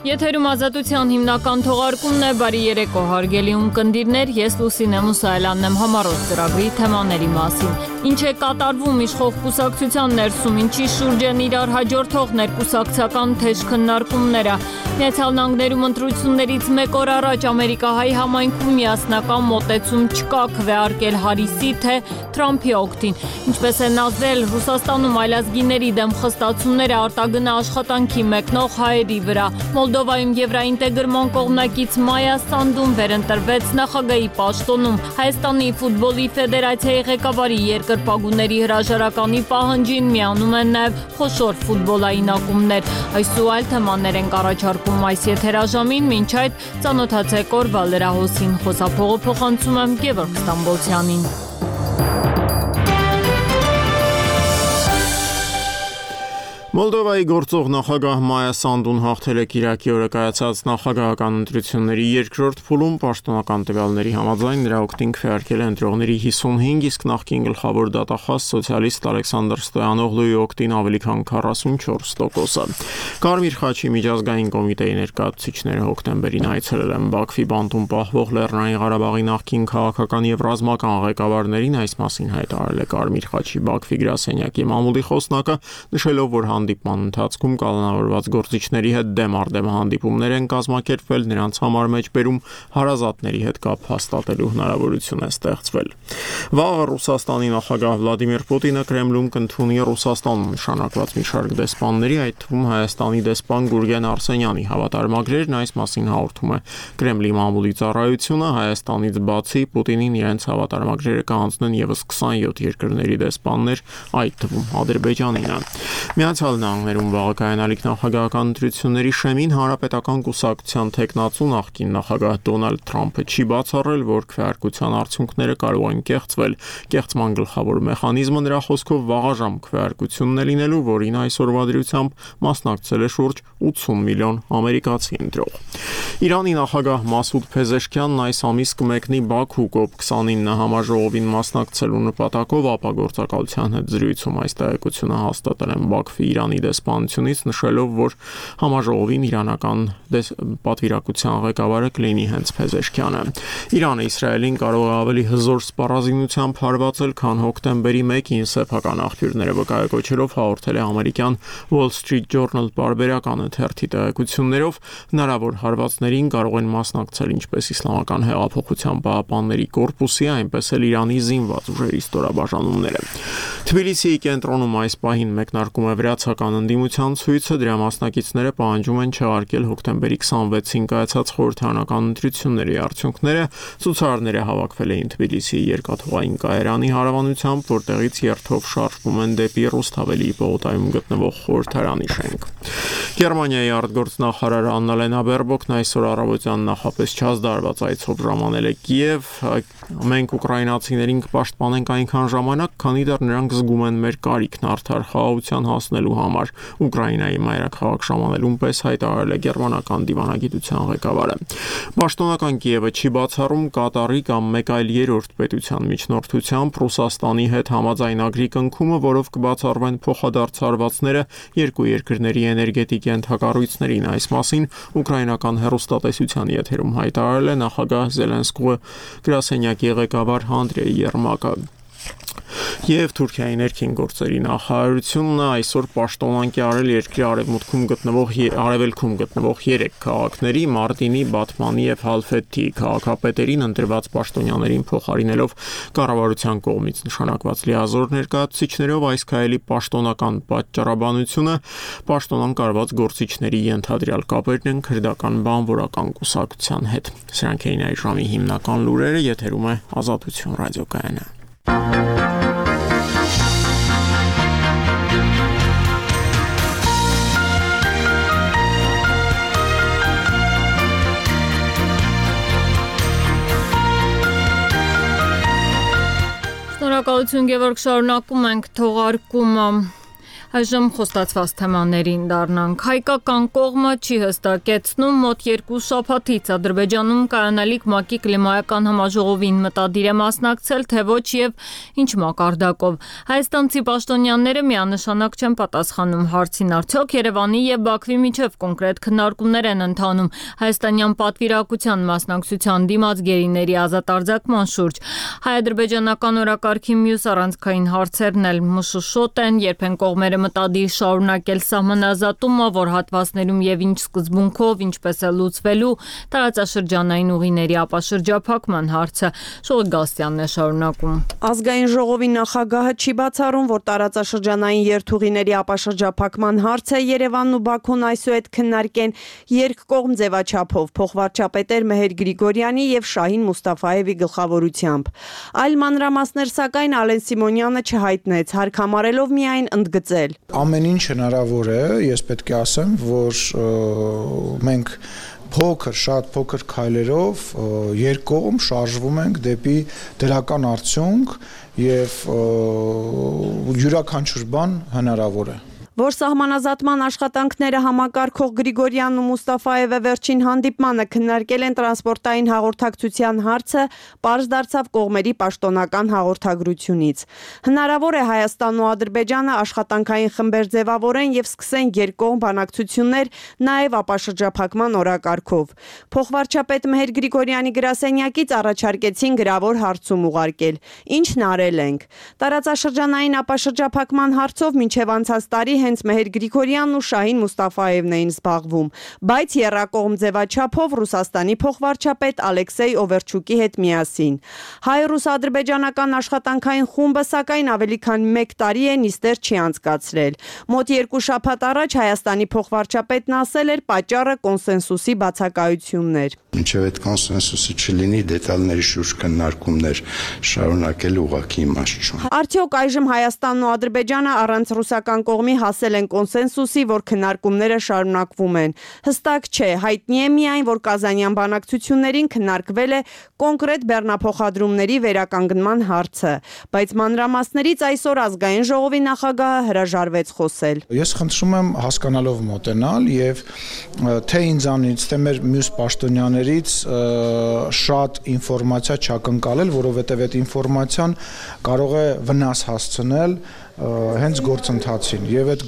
Եթերում ազատության հիմնական թողարկումն է, բարի երեկո հարգելի ունկնդիրներ, ես Լուսինե Մուսայելյանն եմ համառոտ ծրագրի թեմաների մասին։ Ինչ է կատարվում իշխող կուսակցության ներսում, ինչի շուրջ են իրար հաջորդող ներկուսակցական թեժ քննարկումները։ Միացյալ Նահանգներում ընտրություններից մեկ օր առաջ Ամերիկահայ համայնքում միասնական մոտեցում չկա քվեարկել Հարիսի թե Թրամփի օգտին։ Ինչպես են ազդել Ռուսաստանում այլազգիների դեմ խստացումները արտագնա աշխատանքի մեկնող հայերի վրա։ Մոլդովայում Եվրաինտեգրման կողմնակից Մայա Սանդուն վերընտրվեց նախագահի պաշտոնում։ Հայաստանի ֆուտբոլի ֆեդերացիայի ղեկավարի երկրպագուների հրաժարականի պահանջին միանում են նաև խոշոր ֆուտբոլային ակումբներ։ Այս ու այլ թեմաներ ենք առաջարկում այս եթերաժամին, մինչ այդ ծանոթացեք օրվա լրահոսին, խոսափողը փոխանցում եմ Գևորգ Ստամբոլցյանին։ Մոլդովայի գործող նախագահ Մայա Սանդուն հաղթել է կիրակի օրը կայացած նախագահական ընտրությունների երկրորդ փուլում, պաշտոնական տվյալների համաձայն նրա օգտին քվեարկել է ընտրողների 55, իսկ նախկին գլխավոր դատախազ սոցիալիստ Ալեքսանդր Ստոյանօղլուի օգտին ավելի քան 44%-ը։ Կարմիր խաչի միջազգային կոմիտեի ներկայացուցիչները հոկտեմբերին այցելել են Բաքվի բանտում պահվող Լեռնային Ղարաբաղի նախկին քաղաքական եւ ռազմական ղեկավարներին, այս մասին հայտարարել է Կարմիր խաչի Բաքվի գրասենյակի մամուլի խոսնակը, նշելով, որ հանդիպման ընթացքում կալանավորված գործիչների հետ դեմ առ դեմ հանդիպումներ են կազմակերպվել, նրանց համար մեջբերում հարազատների հետ կապ հաստատելու հնարավորություն է ստեղծվել։ Վաղը Ռուսաստանի նախագահ Վլադիմիր Պուտինը Կրեմլում կընդունի Ռուսաստանում նշանակված մի շարք դեսպանների, այդ թվում Հայաստանի դեսպան Գուրգեն Արսենյանի հավատարմագրերն, այս մասին հաղորդում է Կրեմլի մամուլի ծառայությունը։ Հայաստանից բացի Պուտինին իրենց հավատարմագրերը կհանձնեն եւս 27 երկրների դեսպաններ, այդ թվում Ադրբեջանինը։ Միացյալ Նահանգներում վաղը կայանալիք նախագահական ընտրությունների շեմին Հանրապետական կուսակցության թեկնածու նախկին նախագահ Դոնալդ Թրամփը չի բացառել, որ քվեարկության արդյունքները կարող են կեղծվել։ Կեղծման գլխավոր մեխանիզմը նրա խոսքով վաղաժամ քվեարկությունն է լինելու, որին այսօրվա դրությամբ մասնակցել է շուրջ 80 միլիոն ամերիկացի ընտրող։ Իրանի նախագահ Մասուդ Փեզեշքյանն այս ամիս կմեկնի Բաքու COP29 համաժողովին մասնակցելու նպատակով ապագործակալության հետ զրույցում, այս տեղեկությունը հաստատել են Բաքվի Իրանի դեսպանությունից, նշելով, որ համաժողովին իրանական պատվիրակության ղեկավարը կլինի հենց Փեզեշքյանը։ Իրանը Իսրայելին կարող է ավելի հզոր սպառազինությամբ հարվածել, քան հոկտեմբերի 1-ին սեփական աղբյուրները վկայակոչելով հաղորդել է ամերիկյան Wall Street Journal պարբերականը թերթի տեղեկություններով, հնարավոր հարվածներին կարող են մասնակցել ինչպես Իսլամական հեղափոխության պահապանների կորպուսի, այնպես էլ Իրանի զինված ուժերի ստորաբաժանումները։ Թբիլիսիի կենտրոնում այս պահին մեկնարկում է վրացական ընդդիմության ցույցը, դրա մասնակիցները պահանջում են չեղարկել հոկտեմբերի 26-ին կայացած խորհրդարանական ընտրությունների արդյունքները։ Ցուցարարները հավաքվել էին Թբիլիսիի երկաթուղային կայարանի հարևանությամբ, որտեղից երթով շարժվում են դեպի Ռուսթավելի պողոտայում գտնվող խորհրդարանի շենք։ Գերմանիայի արտգործնախարար Աննա Լենա Բերբոկն այսօր առավոտյան նախապես չազդարված այցով ժամանել է Կիև։ Մենք ուկրաինացիներին կպաշտպանենք այնքան ժամանակ, քանի դեռ նրանք զգում են մեր կարիքն արդար խաղաղության հասնելու համար, Ուկրաինայի մայրաքաղաք ժամանելուն պես հայտարարել է գերմանական դիվանագիտության ղեկավարը։ Պաշտոնական Կիևը չի բացառում Կատարի կամ մեկ այլ երրորդ պետության միջնորդությամբ Ռուսաստանի հետ համաձայնագրի կնքումը, որով կբացառվեն փոխադարձարվածները երկու երկրների էներգետիկ ենթակառույցներին։ Այս մասին ուկրաինական հեռուստատեսության եթերում հայտարարել է նախագահ Զելենսկուի գրասենյակի ղեկավար Անդրեյ Երմակը։ Եվ Թուրքիայի ներքին գործերի նախարարությունը այսօր պաշտոնանկի արել երկրի արևելքում գտնվող 3 քաղաքների՝ Մարտինի, Բաթմանի եւ Հալֆեթի քաղաքապետերին ընտրված պաշտոնյաներին փոխարինելով կառավարության կողմից նշանակված լիազոր ներկայացուցիչներով, այս քայլի պաշտոնական պատճառաբանությունը պաշտոնանկ արված գործիչների ենթադրյալ կապերն են քրդական բանվորական կուսակցության հետ։ Սրանք էին այս ժամի հիմնական լուրերը, եթերում է Ազատություն ռադիոկայանը։ Շնորհակալություն Գևորգ, շարունակում ենք թողարկումը։ Այժմ խոստացված թեմաներին դառնանք։ Հայկական կողմը չի հստակեցնում մոտ 2 շաբաթից Ադրբեջանում կայանալիք ՄԱԿ-ի կլիմայական համաժողովին մտադիր է մասնակցել, թե ոչ եւ ինչ մակարդակով։ Հայաստանցի պաշտոնյաները միանշանակ չեն պատասխանում հարցին, արդյոք Երևանի եւ Բաքվի միջև կոնկրետ քննարկումներ են ընթանում հայաստանյան պատվիրակության մասնակցության դիմաց գերիների ազատ արձակման շուրջ։ Հայ-ադրբեջանական օրակարգի մյուս առանցքային հարցերն էլ մշուշոտ են, երբ են կողմերը մտադիր շարունակել սահմանազատումը, որ հատվածներում եւ ինչ սկզբունքով, ինչպես է լուծվելու տարածաշրջանային ուղիների ապաշրջափակման հարցը։ Շողիկ Գասյանն է շարունակում։ Ազգային ժողովի նախագահը չի բացառում, որ տարածաշրջանային երթուղիների ապաշրջափակման հարցը Երևանն ու Բաքուն այսուհետ քննարկեն երկկողմ ձևաչափով փոխվարչապետեր Մեհեր Գրիգորյանի եւ Շահին Մուստաֆաևի գլխավորությամբ։ Այլ մանրամասներ սակայն Ալեն Սիմոնյանը չհայտնեց, հարկամարելով միայն ընդգծել. Ամեն ինչ հնարավոր է, ես պետք է ասեմ, որ մենք շատ փոքր քայլերով երկկողմ շարժվում ենք դեպի դրական արդյունք եւ յուրաքանչյուր բան հնարավոր է։ Որ սահմանազատման աշխատանքները համակարգող Գրիգորյանն ու Մուստաֆաևը վերջին հանդիպմանը քննարկել են տրանսպորտային հաղորդակցության հարցը, պարզ դարձավ կողմերի պաշտոնական հաղորդագրությունից։ Հնարավոր է Հայաստանն ու Ադրբեջանը աշխատանքային խմբեր ձևավորեն եւ սկսեն երկկողմ բանակցություններ նաեւ ապաշրջափակման օրակարգով։ Փոխվարչապետ Մեհեր Գրիգորյանի գրասենյակից առաջարկեցին գրավոր հարցում ուղարկել։ Ինչն արել ենք։ Տարածաշրջանային ապաշրջափակման հարցով մինչեւ անցած տարի հենց Մեհեր Գրիգորյանն ու Շահին Մուստաֆաևն էին զբաղվում, բայց եռակողմ ձևաչափով Ռուսաստանի փոխվարչապետ Ալեքսեյ Օվերչուկի հետ միասին։ Հայ-ռուս-ադրբեջանական աշխատանքային խումբը սակայն ավելի քան 1 տարի է նիստեր չի անցկացրել։ Մոտ 2 շաբաթ առաջ Հայաստանի փոխվարչապետն ասել էր պատճառը կոնսենսուսի բացակայությունն էր։ Մինչև այդ կոնսենսուսը չլինի, դետալների շուրջ քննարկումներ շարունակել ուղղակի իմաստ չունի։ Արդյոք այժմ Հայաստանն ու Ադրբեջանը առանց ռուսական կողմի հասել են կոնսենսուսի, որ քննարկումները շարունակվում են։ Հստակ չէ, հայտնի է միայն, որ Կազանյան բանակցություններին քննարկվել է կոնկրետ բեռնափոխադրումների վերականգնման հարցը, բայց մանրամասներից այսօր ազգային ժողովի նախագահը հրաժարվեց խոսել։ Ես խնդրում եմ հասկանալով մոտենալ եւ թե ինձանից, թե մեր մյուս պաշտոնյաներից շատ ինֆորմացիա չակնկալել, որովհետեւ այդ ինֆորմացիան կարող է վնաս հասցնել հենց գործընթացին եւ այդ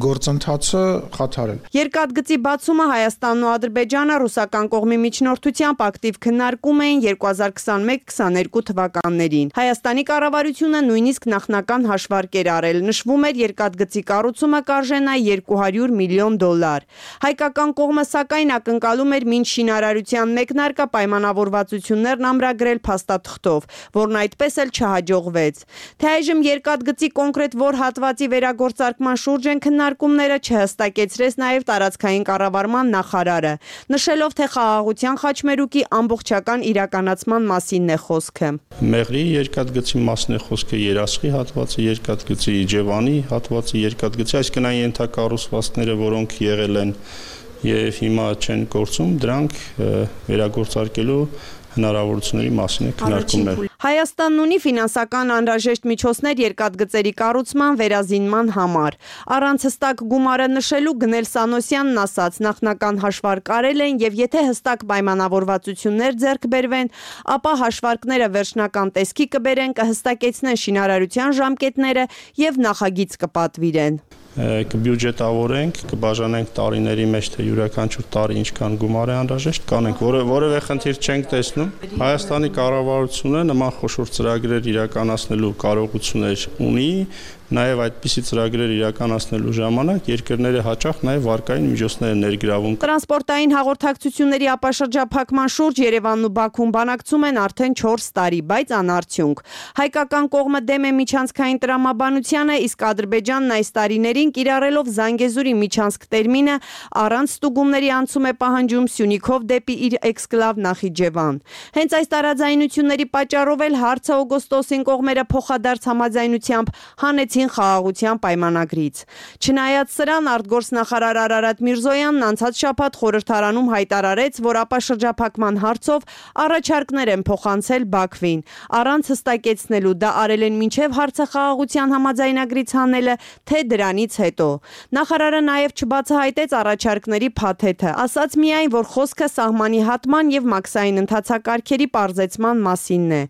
գործընթացը խաթարել։ Երկաթգծի բացումը Հայաստանն ու Ադրբեջանը ռուսական կողմի միջնորդությամբ ակտիվ քննարկում էին 2021-22 թվականներին։ Հայաստանի կառավարությունը նույնիսկ նախնական հաշվարկեր արել, նշվում էր երկաթգծի կառուցումը կարժենա $200 միլիոն։ Հայկական կողմը սակայն ակնկալում էր մինչ շինարարության մեկնարկը պայմանավորվածություններն ամրագրել փաստաթղթով, որն այդպես էլ չհաջողվեց։ Թե այժմ երկաթգծի կոնկրետ որ հատվածի վերագործարկման շուրջ են քննարկումները չհստակեցրեց նաև տարածքային կառավարման նախարարը, նշելով թե խաղաղության խաչմերուկի ամբողջական իրականացման մասինն է խոսքը։ Մեղրի երկաթգծի մասն է խոսքը, Երասխի հատվածը, երկաթգծի Իջևանի հատվածը, երկաթգծի այսինքն այն ենթակառուցվածքները, որոնք եղել են եւ հիմա չեն գործում, դրանք վերագործարկելու հնարավորությունների մասին է քննարկումներ։ Հայաստանն ունի ֆինանսական անհրաժեշտ միջոցներ երկաթգծերի կառուցման վերազինման համար։ Առանց հստակ գումարը նշելու Գնել Սանոսյանն ասաց, նախնական հաշվարկ արել են եւ եթե հստակ պայմանավորվածություններ ձեռք բերվեն, ապա հաշվարկները վերջնական տեսքի կբերեն, կհստակեցնեն շինարարության ժամկետները եւ նախագիծ կպատվիրեն։ Կբյուջետավորենք, կբաժանենք տարիների մեջ, թե յուրաքանչյուր տարի ինչքան գումար է անհրաժեշտ, կանենք, որևէ խնդիր չենք տեսնում։ Հայաստանի կառավարությունը նման խոշոր ծրագրեր իրականացնելու կարողություններ ունի, նաև այդպիսի ծրագրեր իրականացնելու ժամանակ երկրները հաճախ նաև վարկային միջոցներ են ներգրավում։ Տրանսպորտային հաղորդակցությունների ապաշրջափակման շուրջ Երևանն ու Բաքուն բանակցում են արդեն 4 տարի, բայց անարդյունք։ Հայկական կողմը դեմ է միջանցքային տրամաբանությանը, իսկ Ադրբեջանն այս տարիներին կիրառելով Զանգեզուրի միջանցք տերմինը առանց ստուգումների անցում է պահանջում Սյունիքով դեպի իր էքսկլավ Նախիջևան։ Հենց այս տարաձայնությունների պատճառով էլ հարցը օգոստոսին կողմերը փոխադարձ համաձայնությամբ հանեցին Պուտին խաղաղության պայմանագրից։ Չնայած սրան, արտգործնախարար Արարատ Միրզոյանն անցած շաբաթ խորհրդարանում հայտարարեց, որ ապաշրջափակման հարցով առաջարկներ են փոխանցել Բաքվին, առանց հստակեցնելու դա արել են մինչև հարցը խաղաղության համաձայնագրից հանելը, թե դրանից հետո։ Նախարարը նաև չբացահայտեց առաջարկների փաթեթը, ասաց միայն, որ խոսքը սահմանի հատման եւ մաքսային ընթացակարգերի պարզեցման մասինն է։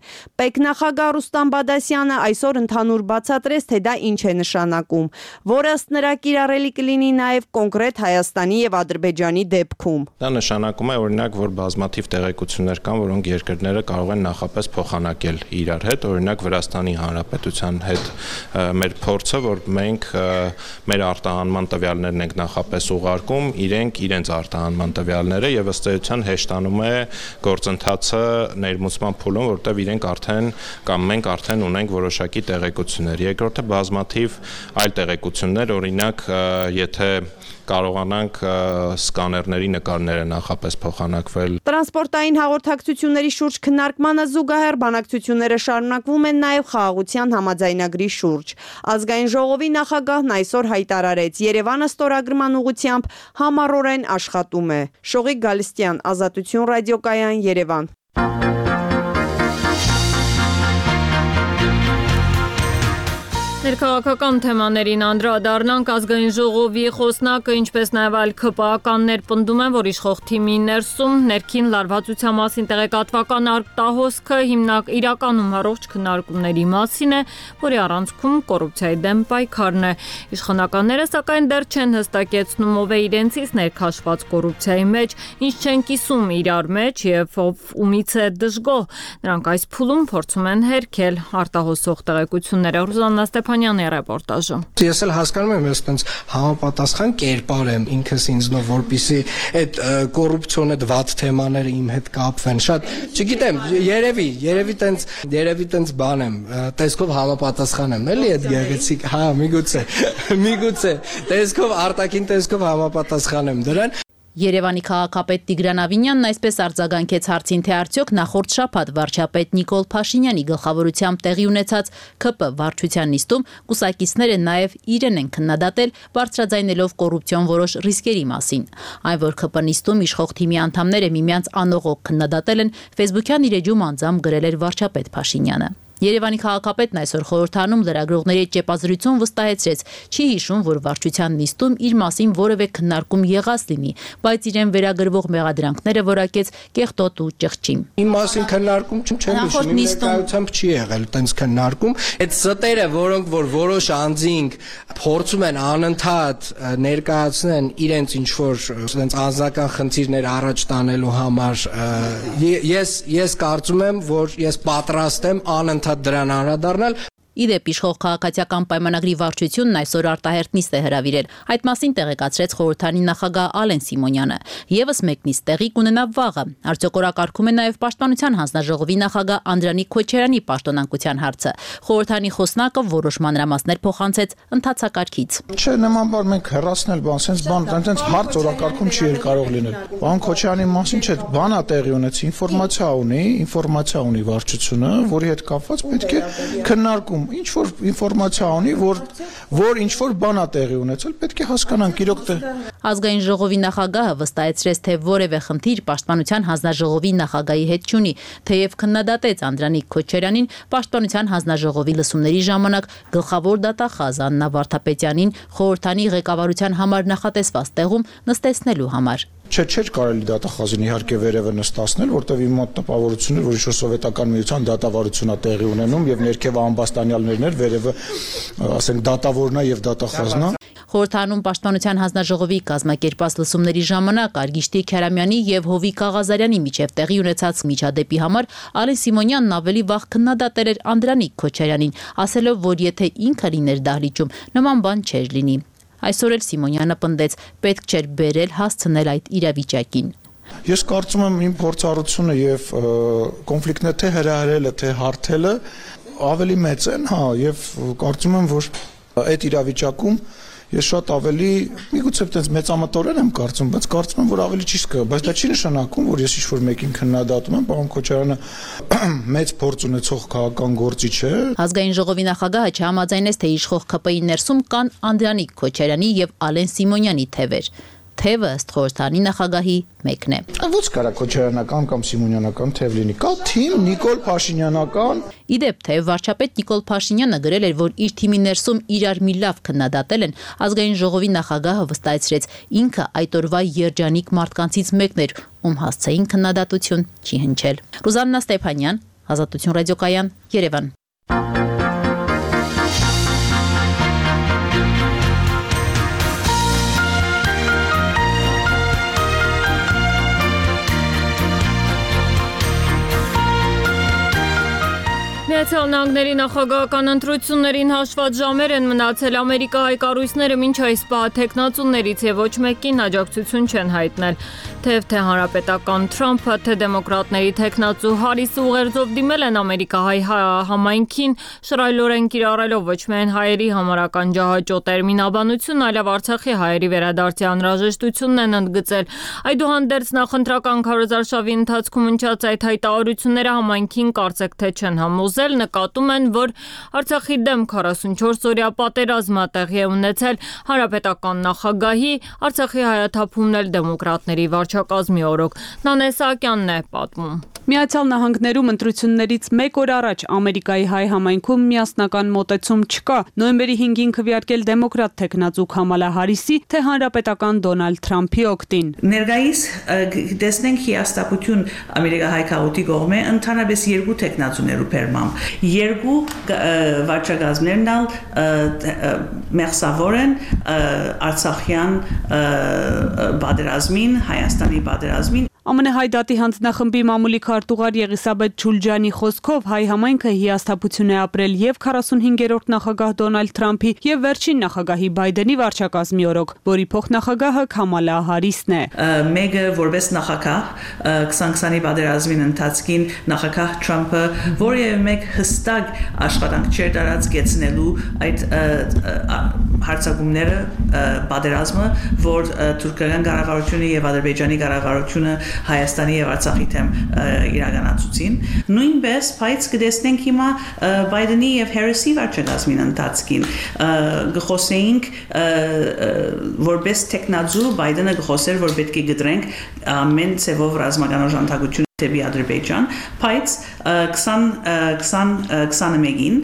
Պետնախագահ Ռուստամ Բադասյանը այսօր ընդհանուր բացատրեց, թե դա ինչ է նշանակում, որը ըստ նրա կիրառելի կլինի նաև կոնկրետ Հայաստանի եւ Ադրբեջանի դեպքում։ Դա նշանակում է օրինակ, որ բազմաթիվ տեղեկություններ կան, որոնք երկրները կարող են նախապես փոխանակել իրար հետ, օրինակ Վրաստանի Հանրապետության հետ մեր փորձը, որ մենք մեր արտահանման տվյալներն ենք նախապես ուղարկում, իրենք իրենց արտահանման տվյալները եւ ըստ էության հեշտանում է գործընթացը ներմուծման փուլում, որտեղ իրենք արդեն կամ մենք արդեն ունենք որոշակի տեղեկություններ։ Երկրորդը բազմաթիվ այլ տեղեկություններ, օրինակ, եթե կարողանանք սկաներների նկարները նախապես փոխանակվել։ Տրանսպորտային հաղորդակցությունների շուրջ քննարկմանը զուգահեռ բանակցությունները շարունակվում են նաև խաղաղության համաձայնագրի շուրջ։ Ազգային ժողովի նախագահն այսօր հայտարարեց, Երևանը ստորագրման ուղղությամբ համառորեն աշխատում է։ Շողիկ Գալստյան, Ազատություն ռադիոկայան, Երևան։ Ներքաղաքական թեմաներին անդրադառնանք, ազգային ժողովի խոսնակը, ինչպես նաև այլ ՔՊԱ-ականներ պնդում են, որ իշխող թիմի ներսում ներքին լարվածության մասին տեղեկատվական արտահոսքը իրականում առողջ քննարկումների մասին է, որի առանցքում կոռուպցիայի դեմ պայքարն է։ Իշխանականները սակայն դեռ չեն հստակեցնում, ով է իրենցից ներքաշված կոռուպցիայի մեջ, ինչ չեն կիսում իրար մեջ եւ ով ումից է դժգոհ։ Նրանք այս փուլում փորձում են հերքել արտահոսող տեղեկությունները։ Ռուզաննա Ստեփանյանի ռեպորտաժը։ Ես էլ հասկանում եմ, ես այդպես համապատասխան կերպար եմ ինքս ինձնով, որպեսզի այդ կոռուպցիոն այդ վատ թեմաները իմ հետ կապվեն։ Շատ, չգիտեմ, երևի տենց բան եմ, տեսքով համապատասխան եմ, էլի այդ գեղեցիկ, հա, միգուցե, տեսքով արտաքին տեսքով համապատասխան եմ դրան։ Երևանի քաղաքապետ Տիգրան Ավինյանն այսպես արձագանքեց հարցին, թե արդյոք նախորդ շաբաթ վարչապետ Նիկոլ Փաշինյանի գլխավորությամբ տեղի ունեցած ՔՊ վարչության նիստում կուսակիցները նաև իրեն են քննադատել, բարձրաձայնելով կոռուպցիոն որոշ ռիսկերի մասին։ Այն, որ ՔՊ նիստում իշխող թիմի անդամները միմյանց անողոք քննադատել են, Facebook-յան իր էջում անձամբ գրել էր վարչապետ Փաշինյանը։ Երևանի քաղաքապետն այսօր խորհրդարանում լրագրողների հետ ճեպազրույցում վստահեցրեց, չի հիշում, որ վարչության նիստում իր մասին որևէ քննարկում եղած լինի, բայց իրեն վերագրվող մեղադրանքները որակեց կեղտոտ ու ճղճի։ Իմ մասին քննարկում չեմ հիշում, իմ ներկայությամբ չի եղել տենց քննարկում։ Այդ ստերը, որոնք որ որոշ անձինք փորձում են անընդհատ ներկայացնեն իրենց ինչ որ տենց անձնական խնդիրներ առաջ տանելու համար, ես կարծում եմ, որ ես պատրաստ եմ անընդհատ դրան անդրադառնալ։ Իդեպ իշխող քաղաքացիական պայմանագրի վարչությունն այսօր արտահերթ նիստ է հրավիրել։ Այդ մասին տեղեկացրեց խորհրդարանի նախագահ Ալեն Սիմոնյանը։ Եվս մեկ նիստ տեղի կունենա վաղը։ Արդյոք օրակարգում է նաև Պաշտպանության հանձնաժողովի նախագահ Անդրանիկ Քոչարյանի պաշտոնանկության հարցը։ Խորհրդարանի խոսնակը որոշ մանրամասներ փոխանցեց ընթացակարգից։ Չէ, նման բան մենք հեռացնել բան, sense բան, այնտենց հարց օրակարգում չի կարող լինել։ Պարոն Քոչարյանի մասին չէ, բանա տեղի ունեցի, ինֆորմացիա ունի վարչությունը, որի հետ կապված պետք է քննարկում ինչ որ ինֆորմացիա ունի, որ ինչ որ բան է տեղի ունեցել, պետք է հասկանանք իրոք թե։ Ազգային ժողովի նախագահը վստահեցրեց, թե որևէ խնդիր Պաշտպանության հանձնաժողովի նախագահի հետ չունի, թեև քննադատեց Անդրանիկ Քոչարյանին Պաշտպանության հանձնաժողովի լսումների ժամանակ գլխավոր դատախազ Աննա Վարդապետյանին խորհրդանի ղեկավարության համար նախատեսված տեղում նստեցնելու համար։ Չէր կարելի դատախազին իհարկե վերևը նստացնել, որտեղ իմ մոտ տպավորություն էր, որ ինչ-որ սովետական միության դատավարությունն է տեղի ունենում եւ ներքևը ամբաստանյալներն էր, վերևը, ասենք, դատավորն է եւ դատախազն է։ Խորհրդարանում Պաշտպանության հանձնաժողովի կազմակերպած լսումների ժամանակ Արգիշտի Քյարամյանի եւ Հովիկ Աղազարյանի միջև տեղի ունեցած միջադեպի համար Ալեն Սիմոնյանն ավելի վաղ քննադատել էր Անդրանիկ Քոչարյանին, ասելով, որ եթե ինքը լիներ դահլիճում, նման բան չէր լինի։ Այսօր էլ Սիմոնյանը պնդեց, պետք չէր բերել հասցնել այդ իրավիճակին։ Ես կարծում եմ իմ փորձառությունը եւ կոնֆլիկտները թե հրահրելը, թե հարթելը ավելի մեծ են, հա, եւ կարծում եմ, որ այդ իրավիճակում ես շատ ավելի միգուցե այդպես մեծամտորեն եմ կարծում, բայց կարծում եմ, որ ավելի ճիշտ կա, բայց դա չի նշանակում, որ ես ինչ-որ մեկին քննադատում եմ, պարոն Քոչարյանը մեծ փորձ ունեցող քաղաքական գործիչ է։ Ազգային ժողովի նախագահը չհամաձայնեց, թե իշխող ԿՊ-ի ներսում կան Անդրանիկ Քոչարյանի եւ Ալեն Սիմոնյանի թևեր։ Թևը ըստ խորհրդանի նախագահի մեկն է։ Ոչ կարա Քոչարյանական կամ Սիմոնյանական թև լինի, կա թիմ Նիկոլ Փաշինյանական։ Իդեպ թե վարչապետ Նիկոլ Փաշինյանը գրել էր, որ իր թիմի ներսում իրար մի լավ քննադատել են, ազգային ժողովի նախագահը վստահեցրեց, ինքը այդ օրվա երջանիկ մարդկանցից մեկն էր, ում հասցեին քննադատություն չի հնչել։ Ռուզաննա Ստեփանյան, Ազատություն ռադիոկայան, Երևան։ Միացյալ Նահանգների նախագահական ընտրություններին հաշված ժամեր են մնացել, Ամերիկայի կառույցները մինչ այս պահ թեկնածուներից եւ ոչ մեկին աջակցություն չեն հայտնել։ Թե հանրապետական Թրամփը, թե դեմոկրատների թեկնածու Հարիսը ուղերձով դիմել են Ամերիկահայ համայնքին, շռայլորեն կիրառելով ոչ միայն հայերի համարական ջահաճո տերմինաբանություն, այլև Արցախի հայերի վերադարձի անհրաժեշտությունն են ընդգծել։ Այդուհանդերձ նախընտրական քարոզարշավի ընթացքում հնչած այդ հայտարարությունները համայնքին կարծեք թե չեն համոզել, նկատում են, որ Արցախի դեմ 44 օրյա պատերազմ տեղի է ունեցել, հանրապետական նախագահի, Արցախի հայաթափումն էլ դեմոկրատների վարչակազմի օրոք։ Նանե Սահակյանն է պատմում։ Միացյալ Նահանգներում ընտրություններից մեկ օր առաջ Ամերիկայի հայ համայնքում միասնական մոտեցում չկա։ Նոյեմբերի 5-ին քվեարկել դեմոկրատ թեկնածու Քամալա Հարիսի, թե հանրապետական Դոնալդ Թրամփի օգտին։ Ներկայիս տեսնենք հիաստապություն ամերիկահայ քաղաքի կողմէ ընդհանրապես երկու թեկնածուներու բերմամբ։ Երկու վարչակազմներն մեղսավոր են Արցախյան պատերազմին, Հայաստանի պատերազմին։ ԱՄՆ Հայդատի հանձնախմբի մամուլի քարտուղար Եղիսաբեթ Չուլջանի խոսքով հայ համայնքը հիասթափություն է ապրել եւ 45-րդ նախագահ Դոնալդ Թրամփի եւ վերջին նախագահի Բայդենի վարչակազմի օրոք, որի փոխնախագահը Քամալա Հարիսն է։ Մեկը որպես նախագահ 2020-ի պատերազմին ընթացքին նախագահ Թրամփը որևէ մեկ հստակ աշխատանք չէր դարած գեցնելու այդ հարցակումները պատերազմը, որ թուրքական կառավարությունը եւ Ադրբեջանի կառավարությունը Հայաստանի եւ Արցախի թեմ իրականացուցին։ Նույնպես բայց կտեսնենք հիմա Բայդենի եւ Հարիսի վարչակազմին ընթացքին գխոսեինք որպես տեխնազու Բայդենը գխոսեր որ պետք է գդրենք ամեն ցևով ռազմական օժանդակություն դեպի Ադրբեջան, բայց 2021-ին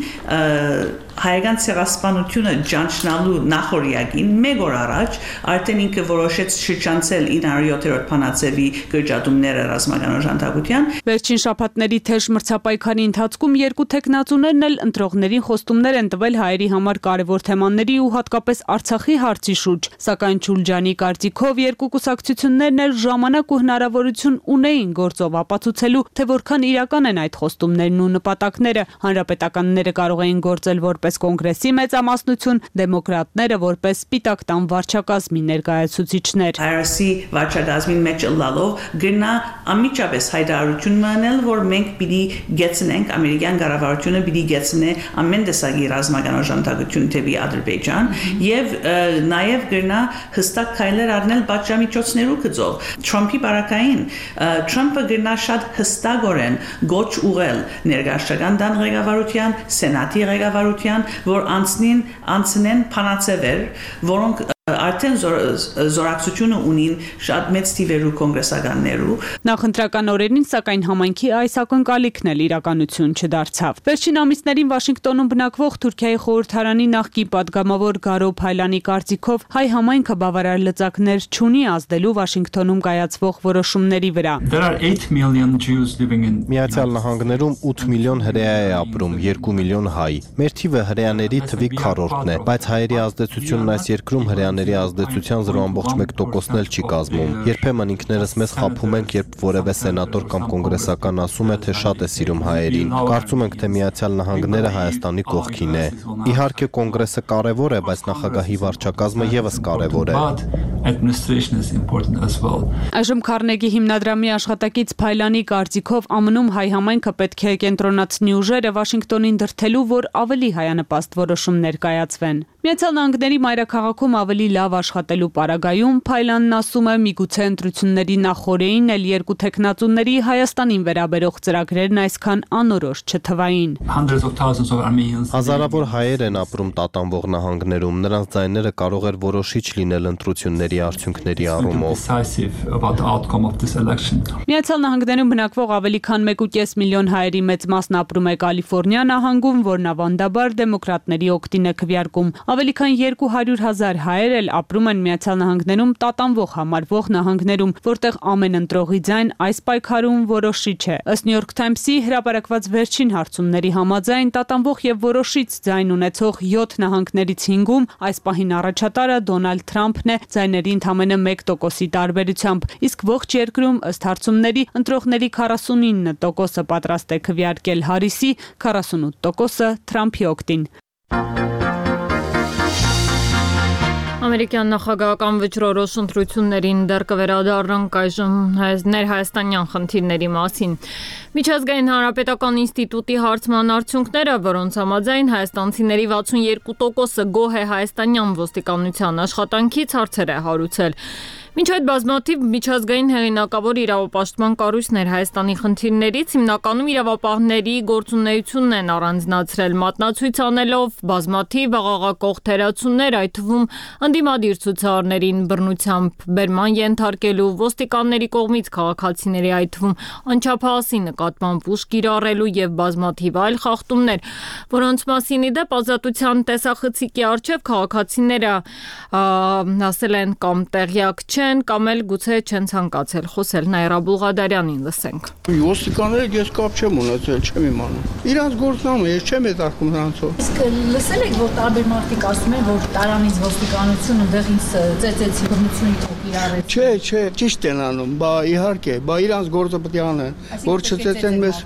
հայկական ցեղասպանությունը ճանչնալու նախորյակին մեկ օր առաջ արդեն ինքը որոշեց շրջանցել 907-րդ փանացեվի գրջատումները ռազմական օժանդակության։ Վերջին շաբաթների թեժ մրցապայքարի ընթացքում երկու տեխնացուներն էլ ընտրողներին խոստումներ են տվել հայերի համար կարևոր թեմաների ու հատկապես Արցախի հարցի շուրջ, սակայն Չուլջանի կարծիքով երկու կուսակցություններն էլ ժամանակ ու հնարավորություն ունեին գործով ապացուցելու, թե որքան իրական են այդ խոստումներն ու նպատակները։ Հանրապետականները կարող էին գործել որպես կոնգրեսի մեծամասնություն, դեմոկրատները որպես սպիտակ տան վարչակազմի ներկայացուցիչներ։ Հարիսի վարչակազմին մեջ լալով գնա անմիջապես հայտարարություն մանել, որ մենք պիտի գեցնենք ամերիկյան կառավարությունը պիտի գեցնե ամեն տեսակի ռազմական օժանդակություն դեպի Ադրբեջան եւ նաեւ գնա հստակ քայլեր առնել պատժամիջոցներու գծով։ Թրամփի բարակային Թրամփը գնա շատ հստակորեն գոչ ուղել ներգաղթական դան ղեկավարության, սենատի ղեկավարության, որ անցնեն փանացեվեր, որոնք արդեն զորակցությունը ունին շատ մեծ թիվերու կոնգրեսականներու։ Նախընտրական օրերին սակայն համայնքի այս ակնկալիքն էլ իրականություն չդարձավ։ Վերջին ամիսներին Վաշինգտոնում բնակվող Թուրքիայի խորհրդարանի նախկին падգամավոր Գարո Փայլանի կարծիքով հայ համայնքը բավարար լծակներ չունի ազդելու Վաշինգտոնում կայացվող որոշումների վրա։ Միացյալ Նահանգներում 8 միլիոն հրեա է ապրում, 2 միլիոն հայ։ Մեր թիվը հրեաների թվի քառորդն է, բայց հայերի ազդեցությունն այս երկրում հրեաների ազդեցության 0.1%-ն էլ չի կազմում։ Երբեմն ինքներս մեզ խաբում ենք, երբ որևէ սենատոր կամ կոնգրեսական ասում է, թե շատ է սիրում հայերին։ Կարծում ենք, թե Միացյալ Նահանգները Հայաստանի կողքին է։ Իհարկե կոնգրեսը կարևոր է, բայց նախագահի վարչակազմը եւս կարևոր է։ administration is important as well. Այժմ Քարնեգի հիմնադրամի աշխատակից Փայլանի կարծիքով ԱՄՆ-ում հայ համայնքը պետք է կենտրոնացնի ուժերը Վաշինգտոնին դրդելու, որ ավելի հայանպաստ որոշումներ կայացվեն։ Միացյալ Նահանգների մայրաքաղաքում ավելի լավ աշխատելու պարագայում Փայլանն ասում է, միգուցե ընտրությունների նախօրեին էլ երկու թեկնածուների Հայաստանին վերաբերող ծրագրերն այսքան անորոշ չթվային։ Հազարավոր հայեր են ապրում տատանվող նահանգներում, նրանց ձայները կարող էր որոշիչ լինել ընտրությունների արդյունքների առումով։ Միացյալ Նահանգներում բնակվող ավելի քան 1.5 միլիոն հայերի մեծ մասն ապրում է Կալիֆոռնիա նահանգում, որն ավանդաբար դեմոկրատների օգտին է քվեարկում։ Ավելի քան 200,000 հայեր էլ ապրում են Միացյալ Նահանգներում տատանվող համարվող նահանգներում, որտեղ ամեն ընտրողի ձայն այս պայքարում որոշիչ է։ Ըստ New York Times-ի հրապարակված վերջին հարցումների համաձայն տատանվող եւ որոշիչ ձայն ունեցող 7 նահանգներից 5-ում այս պահին առաջատարը Դոնալդ Թրամփն է ձայների ընդամենը 1%-ի տարբերությամբ, իսկ ողջ երկրում ըստ հարցումների ընտրողների 49%-ը պատրաստ է քվեարկել Հարիսի, 48%-ը Թրամփի օգտին։ Ամերիկյան նախագահական վճռորոշ ընտրություններին դեռ կվերադառնանք այժմ ներհայաստանյան խնդիրների մասին։ Միջազգային հանրապետական ինստիտուտի հարցման արդյունքները, որոնց համաձայն հայաստանցիների 62%-ը գոհ է հայաստանյան ոստիկանության աշխատանքից, հարցեր է հարուցել։ Մինչ այդ բազմաթիվ միջազգային հեղինակավոր իրավապաշտպան կառույցներ Հայաստանի խնդիրներից հիմնականում իրավապահների գործունեությունն են առանձնացրել, մատնացույց անելով բազմաթիվ աղաղակող թերացումներ, այդ թվում ընդդիմադիր ցուցարարներին բռնությամբ բերման ենթարկելու, ոստիկանների կողմից քաղաքացիների, այդ թվում անչափահասի նկատմամբ ուժ կիրառելու եւ բազմաթիվ այլ խախտումներ, որոնց մասին ի դեպ ազատության տեսախցիկի առջև քաղաքացիները ասել են կամ տեղյակ չեն կամ էլ գուցե չեն ցանկացել խոսել։ Նաիրա Բուլղադարյանին լսենք։ Ոստիկանները ես կապ չեմ ունեցել, չեմ իմանում։ Իրանց գործնամը ես չեմ հետարկում նրանցով։ Իսկ լսել եք, որ տարբեր մարդիկ ասում են, որ տարանից ոստիկանությունը դեղին ծեծեցի բռնությունի թոք իրարեց։ Չէ, ճիշտ են անում, բա իհարկե, բա իրանց գործը պետք է անեն, որ չծեծեն մեզ։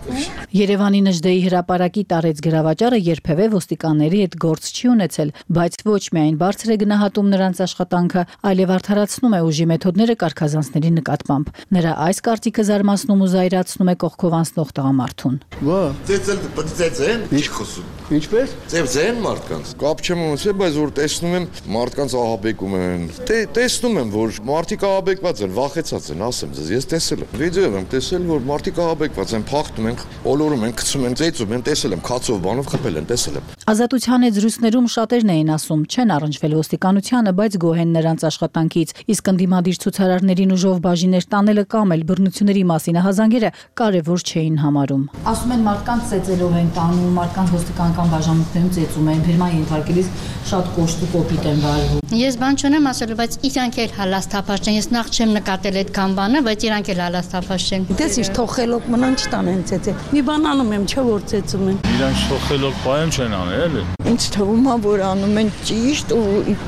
Երևանի Նժդեի հրապարակի տարեց գրավաճառը երբևէ ոստիկանների հետ գործ չի ունեցել, բայց ոչ միայն բարձր է գնահատում նրանց աշխատանքը, այլև արդարացնում է ուժի մեթոդները կարգազանցների նկատմամբ։ Նրա այս կարծիքը զարմացնում ու զայրացնում է կողքով անցնող տղամարդուն։ Ո՞վ։ Ծեծել ծեծեն։ Ինչ խոսում։ Ինչպես։ Ծեծեն մարդկանց։ Կապ չեմ ունեցել, բայց որ տեսնում եմ մարդկանց ահաբեկում են։ Տեսնում եմ, որ մարդիկ ահաբեկված են, վախեցած են, ասեմ ձեզ, ես տեսել եմ։ Վիդեոում եմ տեսել, որ մարդիկ ահաբեկված են, փախնում են, ոլորում են, գցում են, ծեծում են, տեսել եմ, քացով բանով խփել են, տեսել եմ։ Ազատության հետ զրույցներում շատերն էին ասում, չեն առնչվել ոստիկանությանը, բայց գոհ են նրանց աշխատանքից, իսկ ընդդիմադիր ցուցարարներին ուժով բաժիներ տանելը կամ էլ բռնությունների մասին ահազանգերը կարևոր չէին համարում։ Ասում են մարդկանց ծեծելով են տանում, մարդկանց ոստիկանական բաժանմունքներում ծեծում են, բերման ենթարկելիս շատ կոշտ ու կոպիտ են վարվում։ Ես բան չունեմ ասելու, բայց իրանք էլ հալաստափաշ են։ Ես նախ չեմ նկատել այդքան բանը, բայց իրանք էլ հալաստափաշ են։ Դες իր թողելով մնան չտանեն ծեծել։ Մի բան անում եմ, չէ՞ որ ծեծում են։ Իրանք թողելով բայեմ չեն անել, էլի։ Ինձ թվում է, որ անում են ճիշտ ու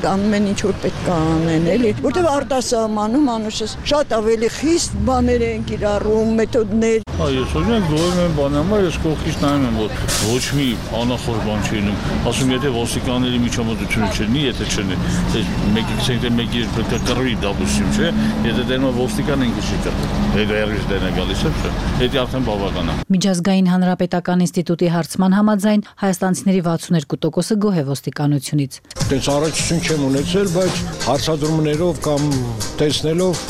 անում են ինչ որ պետք է անեն, էլի, որտեղ արտասահմանում անուշս շատ ավելի խիստ բաներ են կիրառում, մեթոդներ։ Ես օրինակ գոհ եմ բանամա, ես կողքից նայում եմ, որ ոչ մի անախորժ բան չի լինում։ Ասում եթե ոստիկանների միջամտությունը չլինի, եթե չլինի, մեկի պետք է կռվի դաբուսիմ, չէ՞։ Եթե դերնա ոստիկան ինքը չի կռվի։ Հետո դերնա գալիս է, չէ՞։ Դա արդեն բավական է։ Միջազգային հանրապետական ինստիտուտի հարցման համաձայն հայաստանցիների 62%-ը գոհ է ոստիկանությունից։ Դες առաջություն չեմ ունեցել, բայց հարցադրումներով կամ տեսնելով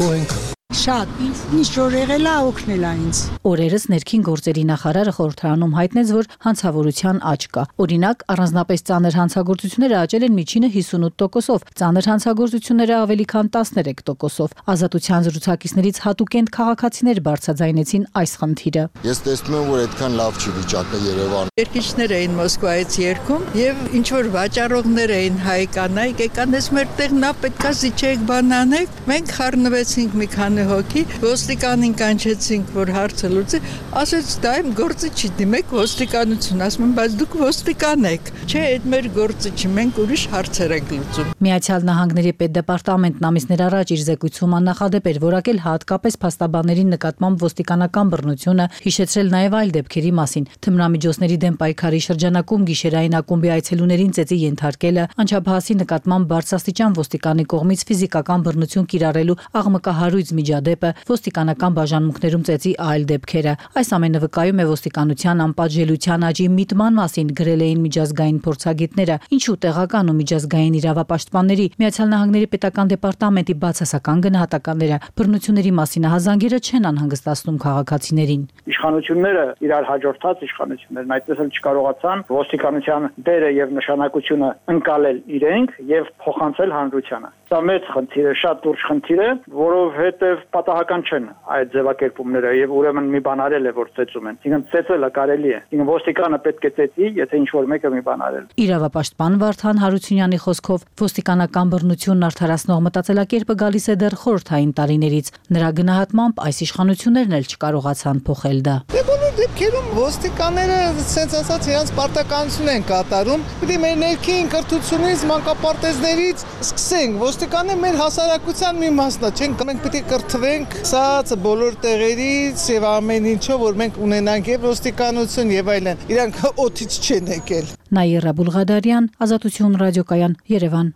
գոհ ենք։ Շատ, ինչ որ եղել է օգնել է ինձ։ Օրերս ներքին գործերի նախարարը խորհրդարանում հայտնեց, որ հանցավորության աճ կա։ Օրինակ, առանձնապես ծանր հանցագործությունները աճել են միջինը 58%-ով, ծանր հանցագործությունները ավելի քան 13%-ով։ Ազատության զրուցակիցներից հատուկենտ քաղաքացիներ բարձրաձայնեցին այս խնդիրը։ Ես տեսնում եմ, որ այդքան լավ չի վիճակը Երևան։ Երկիչներ էին Մոսկվայից երգում եւ ինչ որ վաճառողներ էին հայ կանայք, եկան ես մեր տեղն է, պետքա զիջեք բանանեք։ Մենք խառնվեցինք մի քանի հոգի, ոստիկանին կանչեցինք, որ հարցը լուծի, ասեց դա իմ գործը չի, դիմեք ոստիկանություն, ասում եմ, բայց դուք ոստիկան եք, չէ, այդ մեր գործը չի, մենք ուրիշ հարցեր ենք լուծում։ Միացյալ Նահանգների պետդեպարտամենտն ամիսներ առաջ իր զեկույցում աննախադեպ էր որակել հատկապես փաստաբանների նկատմամբ ոստիկանական բռնությունը, հիշեցրել նաև այլ դեպքերի մասին, թմրամիջոցների դեմ պայքարի շրջանակում գիշերային ակումբի այցելուներին ծեծի ենթարկելը, անչափահասի նկատմամբ բարձրաստիճան ոստիկանի կողմից ֆիզիկական բռնություն կիրառելու աղմկահարույց միջադեպը, ոստիկանական բաժանմունքներում ծեծի այլ դեպքերը։ Այս ամենը վկայում է ոստիկանության անպատժելիության աճի միտման մասին, գրել էին միջազգային փորձագետները, ինչու տեղական ու միջազգային իրավապաշտպանների, Միացյալ Նահանգների պետական դեպարտամենտի բացասական գնահատականները բռնությունների մասին հազանգերը չեն անհանգստացնում քաղաքացիներին։ Իշխանությունները իրար հաջորդած իշխանություններն այդպես էլ չկարողացան ոստիկանության դերը եւ նշանակությունը ընկալել իրենք եւ փոխանցել հանրությանը։ Դա մեծ խնդիր է, շատ լուրջ խնդիր է, որովհետեւ պատահական չեն այդ ձևակերպումները եւ ուրեմն մի բան արել է, որ ծեծում են։ Ինքն ծեծելը կարելի է։ Ինքն ոստիկանը պետք է ծեծի, եթե ինչ որ մեկը մի բան արել։ Իրավապաշտպան Վարդան Հարությունյանի խոսքով ոստիկանական բռնությունն արդարացնող մտածելակերպը գալիս է դեռ խորհրդային տարիներից։ Նրա գնահատմամբ այս իշխանություններն էլ չկարողացան փոխել դա։ Բոլոր դեպքերում ոստիկանները sense ասած իրենց պարտականություն են կատարում։ Պետք է մեր ներքին կրթությունից, մանկապարտեզներից սկսենք։ Ոստիկանները մեր հասարակության մի մասն է, չենք մենք պետք է կրթվենք սա բոլոր տեղերից եւ ամեն ինչով, որ մենք ունենանք եւ ոստիկանություն եւ այլն։ Իրանք օդից չեն եկել։ Նաիրա Բուլղադարյան, Ազատություն ռադիոկայան, Երևան։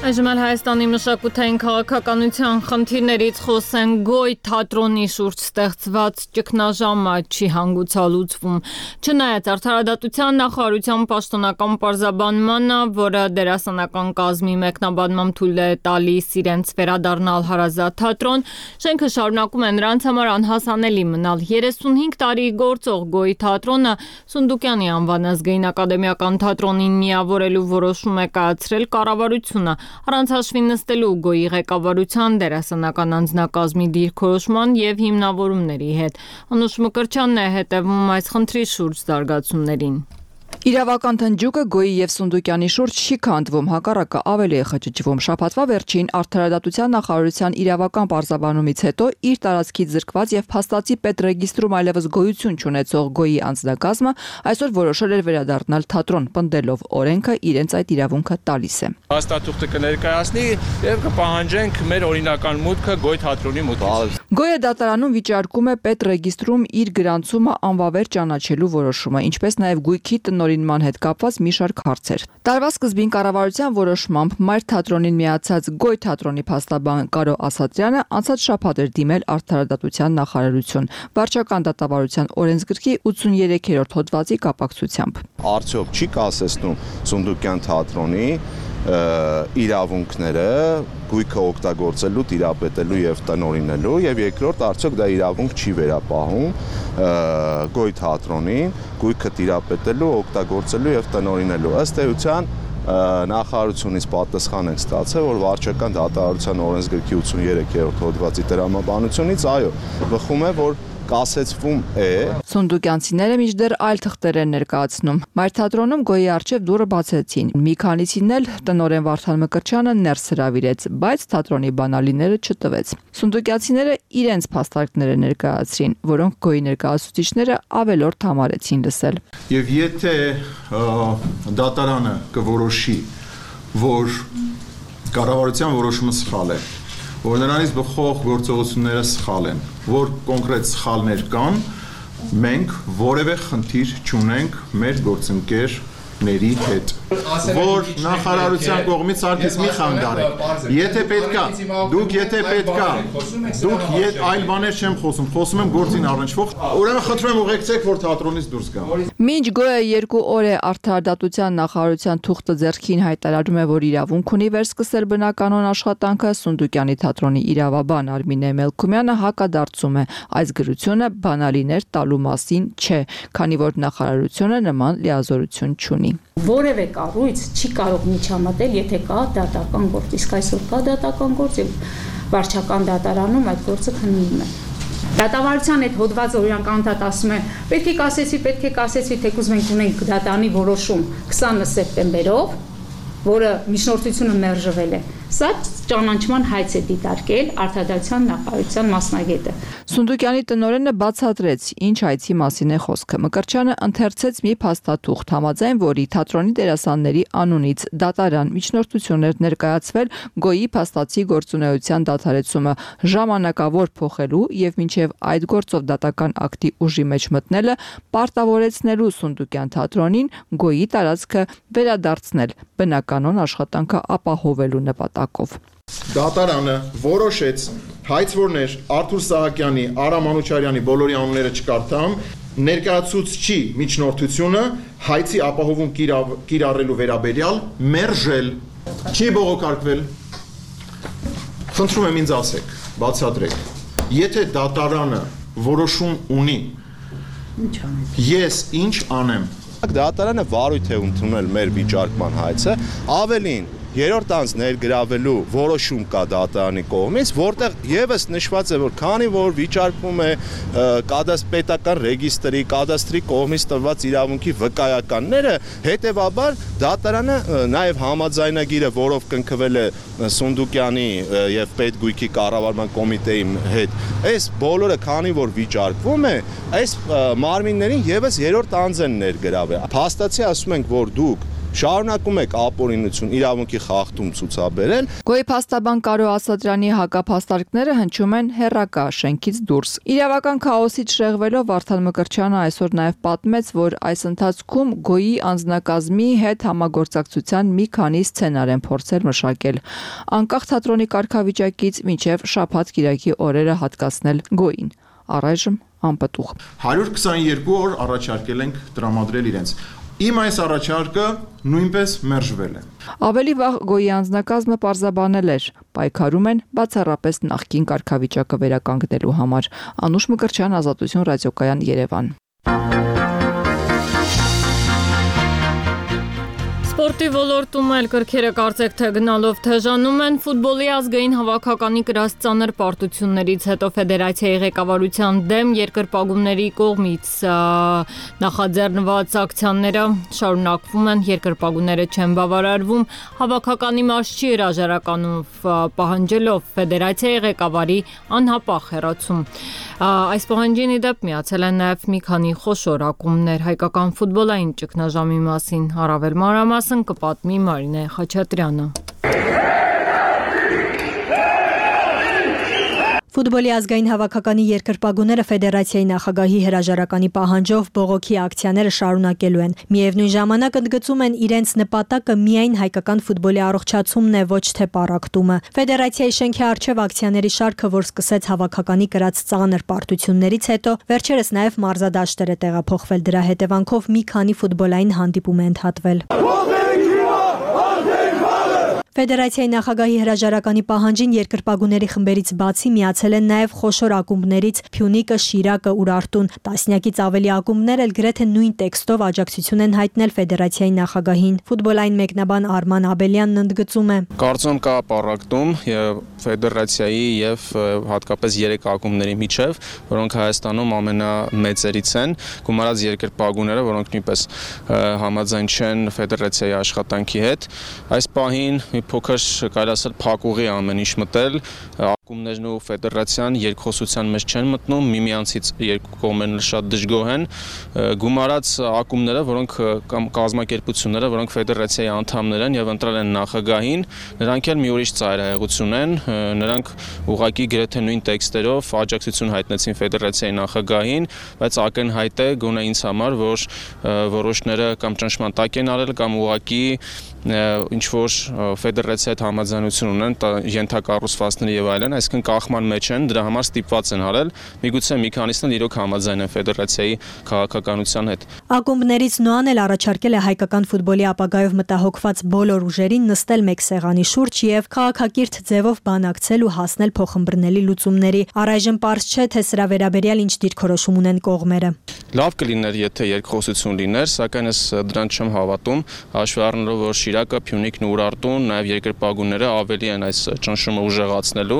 Այժմ Հայաստանի մշակութային քաղաքականության խնդիրներից խոսեն Գոյ թատրոնի շուրջ ստեղծված ճգնաժամը չի հանգուցալուծվում։ Չնայած արդարադատության նախարարության պաշտոնական պարզաբանմանը, որը դերասանական կազմի մեկնաբանմամբ թույլ է տալիս իրենց վերադառնալ հարազատ թատրոն, շենքը շարունակում է նրանց համար անհասանելի մնալ։ 35 տարի գործող Գոյ թատրոնը Սունդուկյանի անվան ազգային ակադեմիական թատրոնին միավորելու որոշում է կայացրել կառավարությունը։ Առանց հաշվի նստելու Գոյի ղեկավարության դերասանական անձնակազմի դիրքորոշման եւ հիմնավորումների հետ։ Անուշ Մկրտչյանն է հետևում այս խնդրի շուրջ զարգացումներին։ Իրավական թնջուկը Գոյի եւ Սունդուկյանի շուրջ չի քանդվում, հակառակը ավելի է խճճվում։ Շաբաթվա վերջին Արդարադատության նախարարության իրավական պարզաբանումից հետո իր տարածքից զրկված եւ փաստացի պետրեգիստրում այլևս գոյություն չունեցող Գոյի անձնակազմը այսօր որոշել էր վերադառնալ թատրոն, պնդելով օրենքը իրենց այդ իրավունքը տալիս է։ Հաստատուղթը կներկայացնի եւ կպահանջենք մեր օրինական մուտքը Գոյ թատրոնի մուտքից։ Գոյը դատարանում վիճարկում է պետրեգիստրում իր գրանցումը անվավեր ճանաչելու որոշումը, ինչպես նաեւ գույքի տնօրինման հետ կապված մի շարք հարցեր։ Տարվա սկզբին կառավարության որոշմամբ Մայր թատրոնին միացած Գոյ թատրոնի փաստաբան Կարո Ասատրյանը անցած շաբաթ էր դիմել Արդարադատության նախարարություն վարչական դատավարության օրենսգրքի 83-րդ հոդվածի կապակցությամբ։ Արդյոք չի կասեցնում Սունդուկյան թատրոնի իրավունքները գույքը օգտագործելու, տիրապետելու եւ տնօրինելու եւ երկրորդ արդյոք դա իրավունք չի վերապահում Գոյ թատրոնին գույքը տիրապետելու, օգտագործելու եւ տնօրինելու։ Ըստ էության նախարարությունից պատասխան ենք ստացել, որ վարչական դատավարության օրենսգրքի 83-րդ հոդվածի տրամաբանությունից այո, բխում է, որ կասեցվում է։ Սունդուկյանցիները մինչդեռ այլ թղթեր են ներկայացնում։ Մայր թատրոնում Գոյի առջև դուռը բացեցին։ Մի քանիսին էլ տնօրեն Վարդան Մկրտչյանը ներս հրավիրեց, բայց թատրոնի բանալիները չտվեց։ Սունդուկյանցիները իրենց փաստարկները ներկայացրին, որոնք Գոյի ներկայացուցիչները ավելորդ համարեցին լսել։ Եվ եթե դատարանը կորոշի, որ կառավարության որոշումը սխալ է, որ նրանից բխող գործողությունները սխալ են, որ կոնկրետ սխալներ կան, մենք որևէ խնդիր չունենք մեր գործընկերների հետ։ որ նախարարության կողմից սարքից մի խանգարեք։ Եթե պետքա, դուք այլ բաներ չեմ խոսում եմ գործին առնչվող։ Ուրեմն խնդրում եմ ուղեկցեք, որ թատրոնից դուրս գամ։ Մինչ գոյը 2 օր է արդարադատության նախարարության թուղթը ձեռքին հայտարարում է, որ իրավունք ունի վերսկսել բնականոն աշխատանքը, Սունդուկյանի թատրոնի իրավաբան Արմինե Մելքումյանը հակադարձում է, այս գրությունը բանալիներ տալու մասին չէ, քանի որ նախարարությունը նման լիազորություն չունի։ Որևէ կառույց չի կարող միջամտել, եթե կա դատական գործ, իսկ այսօր կա դատական գործ եւ վարչական դատարանում այդ գործը քննվում է։ Դատավարության այդ հոդվածը օրինակ անդադ ասում է, պետք է կասեցվի, թեկուզ մենք ունենք դատանի որոշում 20 սեպտեմբերով, որը միջնորդությունը մերժվել է։ Սա ճանաչման հայց է դիտարկել արդարադատության նախարարության մասնագետը։ Սունդուկյանի տնօրենը բացատրեց, ինչ այցի մասին է խոսքը։ Մկրտչյանը ընթերցեց մի փաստաթուղթ, համաձայն որի թատրոնի դերասանների անունից դատարան միջնորդություններ ներկայացվել գոյի փաստացի գործունեության դադարեցումը ժամանակավոր փոխելու եւ մինչեւ այդ գործով դատական ակտի ուժի մեջ մտնելը պարտավորեցնելու Սունդուկյան թատրոնին գոյի տարածքը վերադարձնել բնականոն աշխատանքը ապահովելու նպատակով։ Դատարանը որոշեց հայցվորներ Արթուր Սահակյանի, Արա Մանուչարյանի բոլորի անունները չկարդամ, ներկայացուցչի միջնորդությունը հայցի ապահովում կիրառելու վերաբերյալ մերժել, չի բողոքարկվել։ Խնդրում եմ ինձ ասեք, բացատրեք, եթե դատարանը որոշում ունի, ես ինչ անեմ։ Դատարանը վարույթ է ընդունել մեր վիճարկման հայցը, ավելին երրորդ անձ ներգրավելու որոշում կա դատարանի կողմից, որտեղ եւս նշված է, որ քանի որ վիճարկվում է պետական ռեգիստրի, կադաստրի կողմից տրված իրավունքի վկայականները, հետեւաբար դատարանը նաեւ համաձայնագիրը, որով կնքվել է Սունդուկյանի եւ Պետգույքի կառավարման կոմիտեի հետ, այս բոլորը քանի որ վիճարկվում է, այս մարմիններին եւս երրորդ անձ են ներգրավել։ Փաստացի ասում ենք, որ դուք շարունակում եք ապօրինություն իրավունքի խախտում ցուցաբերել։ Գոյի փաստաբան Կարո Ասատրյանի հակափաստարկները հնչում են հեռակա շենքից դուրս։ Իրավական քաոսից շեղվելով Վարդան Մկրտչյանը այսօր նաև պատմեց, որ այս ընթացքում գոյի անձնակազմի հետ համագործակցության մի քանի սցենար են փորձել մշակել։ Անկախ թատրոնի կարգավիճակից մինչև շաբաթ-կիրակի օրերը հատկացնել գոյին։ Առայժմ անպտուղ։ 122 օր առաջարկել ենք տրամադրել իրենց։ Իմ այս առաջարկը նույնպես մերժվել է։ Ավելի վաղ գոյի անձնակազմը պարզաբանել էր, պայքարում են բացառապես նախկին կարգավիճակը վերականգնելու համար։ Անուշ Մկրտչյան, Ազատություն ռադիոկայան, Երևան։ Սպորտի ոլորտում էլ կրքերը կարծեք թե գնալով թեժանում են, ֆուտբոլի ազգային հավաքականի կրած ծանր պարտություններից հետո ֆեդերացիայի ղեկավարության դեմ երկրպագուների կողմից նախաձեռնված ակցիաները շարունակվում են, երկրպագուները չեն բավարարվում, հավաքականի մաս չի հրաժարականում պահանջելով ֆեդերացիայի ղեկավարի անհապաղ հեռացում։ Այս պահանջին ի դեպ միացել են նաև մի քանի խոշոր ակումբներ, հայկական ֆուտբոլային ճգնաժամի մասին առավել մանրամասն կպատմի Մարինե Խաչատրյանը։ Ֆուտբոլի ազգային հավաքականի երկրպագուները ֆեդերացիայի նախագահի հրաժարականի պահանջով բողոքի ակցիաները շարունակելու են։ Միևնույն ժամանակ ընդգծում են իրենց նպատակը միայն հայկական ֆուտբոլի առողջացումն է, ոչ թե պառակտումը։ Ֆեդերացիայի շենքի առջև ակցիաների շարքը, որ սկսեց հավաքականի կրած ծանր պարտություններից հետո, վերջերս նաև մարզադաշտեր է տեղափոխվել, դրա հետևանքով մի քանի ֆուտբոլային հանդիպում է ընդհատվել։ Ֆեդերացիայի նախագահի հրաժարականի պահանջին երկրպագուների խմբերից բացի միացել են նաև խոշոր ակումբներից Փյունիկը, Շիրակը, Ուրարտուն։ Տասնյակից ավելի ակումբներ էլ գրեթե նույն տեքստով աջակցություն են հայտնել ֆեդերացիայի նախագահին։ Ֆուտբոլային մեկնաբան Արման Աբելյանն ընդգծում է. Կարծում կա պառակտում ֆեդերացիայի եւ հատկապես 3 ակումբների միջև, որոնք Հայաստանում ամենամեծերից են, գումարած երկրպագուները, որոնք նույնպես համաձայն չեն ֆեդերացիայի աշխատանքի հետ։ Այս պահին փոքր կարելի ասել փակուղի ամեն ինչ մտել, Կումներն ու ֆեդերացիան երկխոսության մեջ չեն մտնում, միմյանցից երկու կողմերն շատ դժգոհ են, գումարած ակումբները, որոնք կամ կազմակերպությունները, որոնք ֆեդերացիայի անդամներ են եւ ընտրել են նախագահին, նրանք էլ մի ուրիշ ծայրահեղություն են, նրանք ուղղակի գրեթե նույն տեքստերով աջակցություն հայտնեցին ֆեդերացիայի նախագահին, բայց ակնհայտ է գոնե ինձ համար, որ որոշները կամ ճնշման տակ են արել կամ ուղղակի ինչ որ ֆեդերացիայի հետ համաձայնություն ունեն ենթակառուցվածքների եւ այլն, այսինքն կախման մեջ են, դրա համար ստիպված են արել, միգուցե մի քանիսն իրոք համաձայն են ֆեդերացիայի քաղաքականության հետ։ Ակումբներից Նոան էլ առաջարկել է հայկական ֆուտբոլի ապագայով մտահոգված բոլոր ուժերին նստել մեկ սեղանի շուրջ եւ քաղաքակիրթ ձևով բանակցել ու հասնել փոխըմբռնելի լուծումների։ Առայժմ պարզ չէ, թե սրա վերաբերյալ ինչ դիրքորոշում ունեն կողմերը։ Լավ կլիներ, եթե երկխոսություն լիներ, սակայն ես դրան չեմ հավատում, հաշվի առնելով, որ Շիրակը, Փյունիկն ու Ուրարտուն, նաև երկրպագուները ավելի են այս ճնշումը ուժեղացնելու։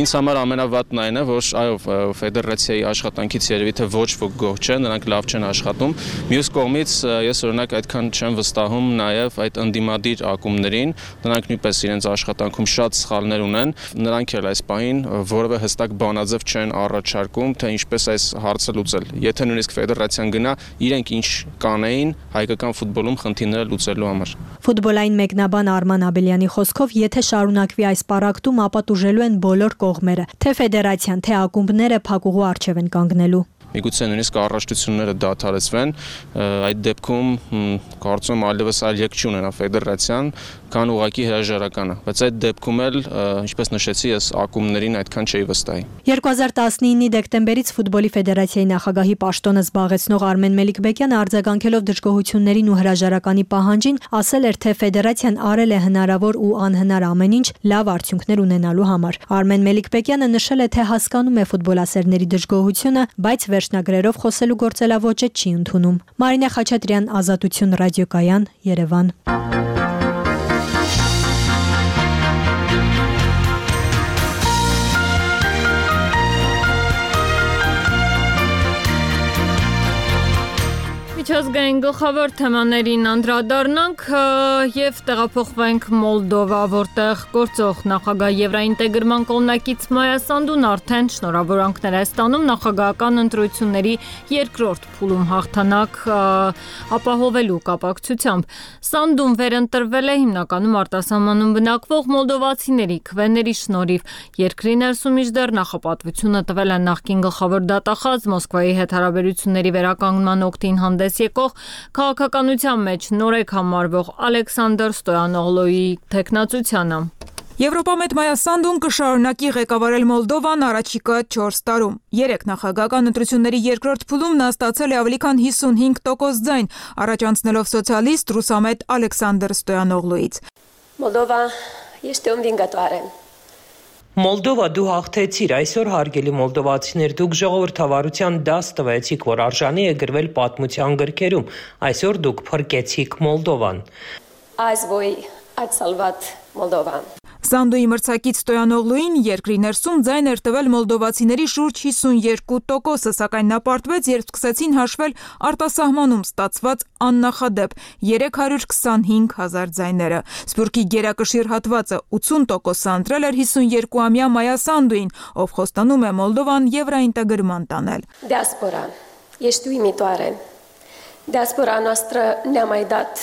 Ինձ համար ամենավատն այն է, որ այո, ֆեդերացիայի աշխատանքից երևի թե ոչ ոք գոհ չէ, նրանք լավ չեն աշխատում։ Մյուս կողմից ես օրինակ այդքան չեմ վստահում նաև այդ ընդդիմադիր ակումբներին, նրանք նույնպես իրենց աշխատանքում շատ սխալներ ունեն, նրանք էլ այս պահին որևէ հստակ բանաձև չեն առաջարկում, թե ինչպես այս հարցը լուծել։ Եթե նույնիսկ ֆեդերացիան գնա, իրենք ինչ կանեին հայկական ֆուտբոլում խնդիրները լուծելու համար։ Ֆուտբոլային մեկնաբան Արման Աբելյանի խոսքով, եթե շարունակվի այս պառակտում, ապա տուժելու են բոլոր կողմերը, թե ֆեդերացիան, թե ակումբները փակուղու առջև են կանգնելու։ Միգուցե նույնիսկ առաջնությունները դադարեցվեն, այդ դեպքում կարծում եմ այլևս այլ եք չունենա ֆեդերացիան, քան ուղղակի հրաժարականը, բայց այդ դեպքում էլ, ինչպես նշեցի, ես ակումբներին այդքան չէի վստահի։ 2019-ի դեկտեմբերից ֆուտբոլի ֆեդերացիայի նախագահի պաշտոնը զբաղեցնող Արմեն Մելիքբեկյանը արձագանքելով դժգոհություններին ու հրաժարականի պահանջին, ասել էր, թե ֆեդերացիան արել է հնարավոր ու անհնար ամեն ինչ լավ արդյունքներ ունենալու համար։ Արմեն Մելիքբեկյանը նշել է, թե հասկանում է ֆուտբոլասերների դժգոհությունը, բայց վերջնագրերով խոսելու գործելավոճը չի ընդունում։ Մարինե Խաչատրյան, Ազատություն ռադիոկայան, Երևան։ Միջազգային գլխավոր թեմաներին անդրադառնանք եւ տեղափոխվենք Մոլդովա, որտեղ գործող նախագահ Եվրաինտեգրման կողմնակից Մայա Սանդուն արդեն շնորհավորանքներ է ստանում նախագահական ընտրությունների երկրորդ փուլում հաղթանակ ապահովելու կապակցությամբ։ Սանդուն վերընտրվել է հիմնականում արտասահմանում բնակվող մոլդովացիների քվեների շնորհիվ։ Երկրի ներսում մինչդեռ նախապատվությունը տվել է նախկին գլխավոր դատախազ Մոսկվայի հետ հարաբերությունների վերականգնման օգտին հանդես եկող քաղաքականության մեջ նորեկ համարվող Ալեքսանդր Ստոյանօղլուի թեկնածությանը։ Եվրոպամետ Մայա Սանդուն կշարունակի ղեկավարել Մոլդովան առաջիկա 4 տարում։ 3 նախագահական ընտրությունների երկրորդ փուլում նա ստացել է ավելի քան 55% ձայն, առաջ անցնելով սոցիալիստ ռուսամետ Ալեքսանդր Ստոյանօղլուից։ Մոլդովա este învingătoare. Մոլդովա, դու հաղթեցիր, այսօր հարգելի մոլդովացիներ, դուք ժողովրդավարության դաս տվեցիք, որ արժանի է գրվել պատմության գրքերում, այսօր դուք փրկեցիք Մոլդովան։ Azi voi ați salvat Moldova. Սանդուի մրցակից Ստոյանօղլուին երկրի ներսում ձայն էր տվել մոլդովացիների շուրջ 52%, սակայն նա պարտվեց, երբ սկսեցին հաշվել արտասահմանում ստացված աննախադեպ 325,000 ձայները։ Սփյուռքի գերակշիռ հատվածը 80% ընտրել էր 52-ամյա Մայա Սանդուին, ով խոստանում է Մոլդովան եվրաինտեգրման տանել։ Diaspora, ești uimitoare. Diaspora noastră ne-a mai dat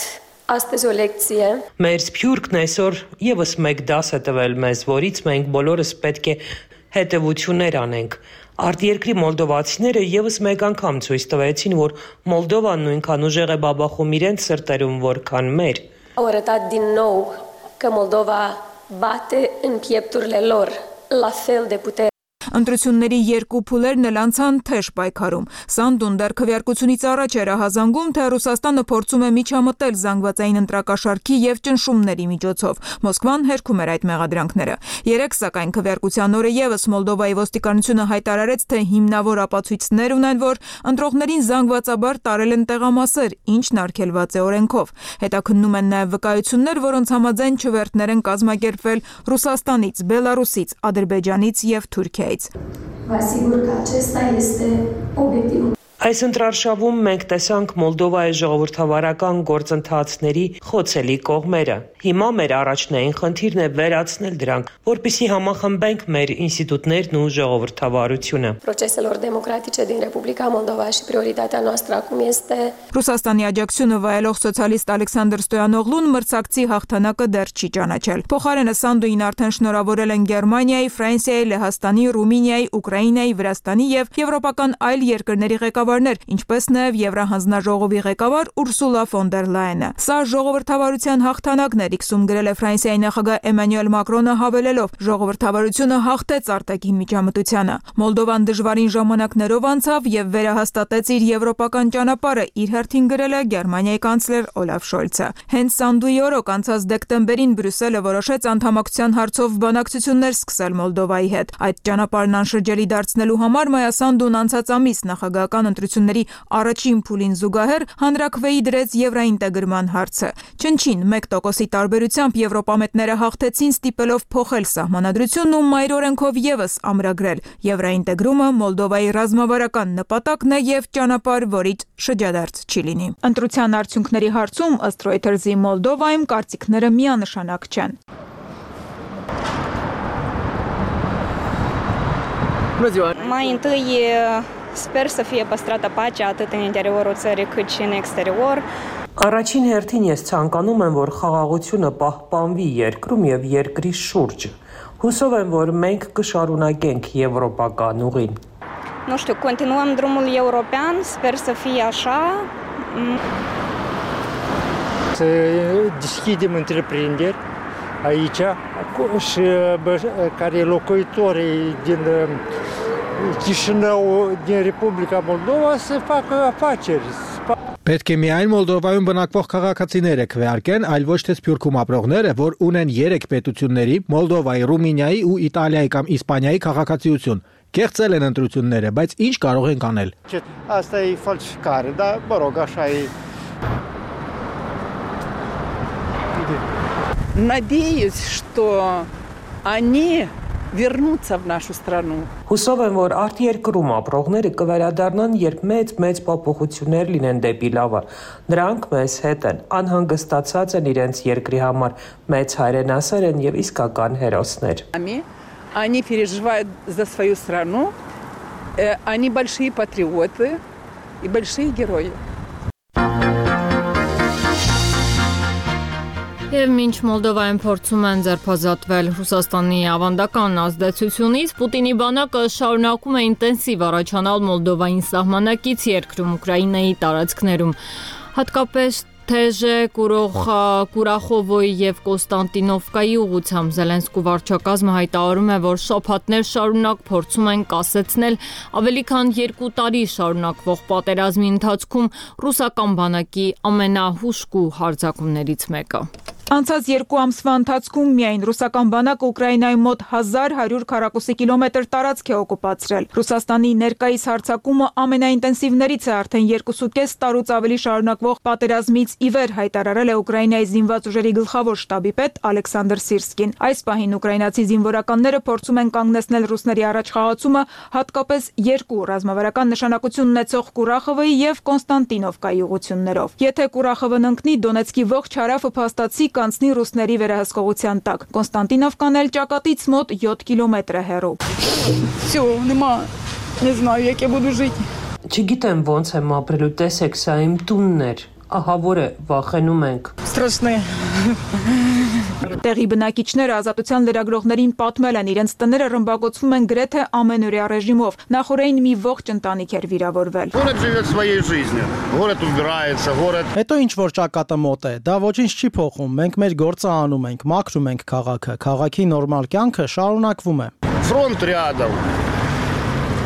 Astăzi o lecție. Մեր սփյուռքն այսօր եւս մեկ դաս է տվել մեզ, որից մենք բոլորս պետք է հետևություններ անենք։ Արտերկրի մոլդովացիները եւս մեկ անգամ ցույց տվեցին, որ Մոլդովան նույնքան ուժեղ է բաբախում իրենց սրտերում, որքան մեր։ Au arătat din nou că Moldova bate în piepturile lor la fel de puternic. Ընտրությունների երկու փուլերն էլ անցան թեժ պայքարում։ Սանդուն դեռ քվեարկությունից առաջ էր հազանգում, թե Ռուսաստանը փորձում է միջամտել զանգվածային ընտրակաշարքի եւ ճնշումների միջոցով։ Մոսկվան հերքում էր այդ մեղադրանքները։ Երեք սակայն քվեարկության օրը եւս Մոլդովայի ոստիկանությունը հայտարարեց, թե հիմնավոր ապացույցներ ունեն, որ ընտրողներին զանգվածաբար տարել են տեղամասեր, ինչն արգելված է օրենքով։ Հետաքննում են նաեւ վկայություններ, որոնց համաձայն չվերթներ են կազմակերպվել Ռուսաստանից, Բելարուսից, Ադրբեջանից եւ Թուրքիայից։ Vă asigur că acesta este obiectivul. Այս ընտրարշավում մենք տեսանք Մոլդովայի ժողովրդավարական գործընթացների խոցելի կողմերը։ Հիմա մեր առաջնային խնդիրն է վերացնել դրանք, որպեսզի համախմբենք մեր ինստիտուտներն ու ժողովրդավարությունը։ Proceselor democratice din Republica Moldova și prioritatea noastră acum este Ռուսաստանի աջակցությունը վայելող սոցիալիստ Ալեքսանդր Ստոյանօղլուն մրցակցի հաղթանակը դեռ չի ճանաչել։ Փոխարենը Սանդուին արդեն շնորհավորել են Գերմանիայի, Ֆրանսիայի, Լեհաստանի, Ռումինիայի, Ուկրաինայի, Վրաստանի եւ եվրոպական այլ երկրների ղեկավարներ, ինչպես նաեւ Եվրահանձնաժողովի ղեկավար Ուրսուլա ֆոն դեր Լայենը։ Սա ժողովրդավարության հաղթանակն էր, իքսում գրել է Ֆրանսիայի նախագահ Էմանուել Մակրոնը հավելելով. ժողովրդավարությունը հաղթեց արտաքին միջամտությանը։ Մոլդովան դժվարին ժամանակներով անցավ եւ վերահաստատեց իր եվրոպական ճանապարհը, իր հերթին գրել է Գերմանիայի կանցլեր Օլաֆ Շոլցը։ Հենց Սանդուի օրոք անցած դեկտեմբերին Բրյուսելը որոշեց անդամակցության հարցով բանակցություններ սկսել Մոլդովայի հետ։ Այդ ճանապարհն անշրջելի դարձնելու համար Մայասանդուն անցած ամիս նախագահական ընտրությունների առաջին փուլին զուգահեռ հանրաքվեի դրեց եվրաինտեգրման հարցը։ Չնչին 1%-ի տարբերությամբ եվրոպամետները հաղթեցին ստիպելով փոխել սահմանադրությունն ու մայր օրենքով եւս ամրագրել։ Եվրաինտեգրումը Մոլդովայի ռազմավարական նպատակն է եւ ճանապարհ, որից շրջադարձ չի լինի։ Ընտրության արդյունքների հարցում ըստ Reuters-ի Մոլդովայում կարծիքները միանշանակ չեն։ Mai întâi sper să fie păstrată pacea atât în interiorul țării cât și în exterior. Առաջին հերթին ես ցանկանում եմ, որ խաղաղությունը պահպանվի երկրում եւ երկրի շուրջը։ Հուսով եմ, որ մենք կշարունակենք եվրոպական ուղին։ Nu știu, continuăm drumul european, sper să fie așa. Să deschidem întreprinderi aici și care locuitorii din Chișinău, din Republica Moldova să facă afaceri. Պետք է միայն Մոլդովայում բնակվող քաղաքացիները քվեարկեն, այլ ոչ թե Սփյուռքում ապրողները, որ ունեն 3 պետությունների՝ Մոլդովայի, Ռումինիայի ու Իտալիայի կամ Իսպանիայի քաղաքացիություն։ Կեղծել են ընտրությունները, բայց ինչ կարող են անել։ Asta e falsificare, dar mă rog, așa e. Надеюсь, что они вернутся в нашу страну. Հուսով եմ, որ արտերկրում ապրողները կվերադառնան, երբ մեծ փոփոխություններ լինեն դեպի լավը։ Նրանք մեզ հետ են, անհանգստացած են իրենց երկրի համար, մեծ հայրենասեր են եւ իսկական հերոսներ։ Они переживают за свою страну, они большие патриоты и большие герои. Եվ մինչ Մոլդովայում փորձում են ձերբազատվել Ռուսաստանի ավանդական ազդեցությունից, Պուտինի բանակը շարունակում է ինտենսիվ առաջանալ Մոլդովային սահմանակից երկրում Ուկրաինայի տարածքներում։ Հատկապես Թեժե, Կուրախովոյի եւ Կոստանտինովկայի ուղղությամբ Զելենսկու վարչակազմը հայտարարում է, որ շաբաթներ շարունակ փորձում են կասեցնել ավելի քան 2 տարի շարունակվող պատերազմի ընթացքում ռուսական բանակի ամենահուժկու հարձակումներից մեկը։ Անցած 2 ամսվա ընթացքում միայն ռուսական բանակը Ուկրաինայի մոտ 1100 քառակուսի կիլոմետր տարածք է օկուպացրել։ Ռուսաստանի ներկայիս հարձակումը ամենաինտենսիվներից է արդեն 2.5 տարուց ավելի շարունակվող պատերազմից ի վեր, հայտարարել է Ուկրաինայի զինված ուժերի գլխավոր շտաբի պետ Ալեքսանդր Սիրսկին։ Այս պահին ուկրաինացի զինվորականները փորձում են կանգնեցնել ռուսների առաջխաղացումը, հատկապես 2 ռազմավարական նշանակություն ունեցող Կուրախովոյի եւ Կոնստանտինովկայի ուղղություններով։ Եթե Կուրախովն ընկնի, Դոնեցկի ողջ հարավը փաստացի կանցնի ռուսների վերահսկողության տակ։ Կոնստանտինովկան էլ ճակատից մոտ 7 կիլոմետր է հեռու։ Всё, нема. Не знаю, як я буду жить. Չգիտեմ ոնց եմ ապրելու, տեսեք, սա իմ տունն էր։ Ահա որ է, վախենում ենք։ Страшно. Տեղի բնակիչները ազատության լրագրողներին պատմել են, իրենց տները ռմբակոծվում են գրեթե ամենօրյա ռեժիմով։ Նախորդին մի ողջ ընտանիք էր վիրավորվել։ Город живет своей жизнью. Город убирается, город. Հետո ինչ որ ճակատը մոտ է, դա ոչինչ չի փոխում։ Մենք մեր գործը անում ենք, մաքրում ենք քաղաքը։ Քաղաքի նորմալ կյանքը շարունակվում է։ Фронт рядом.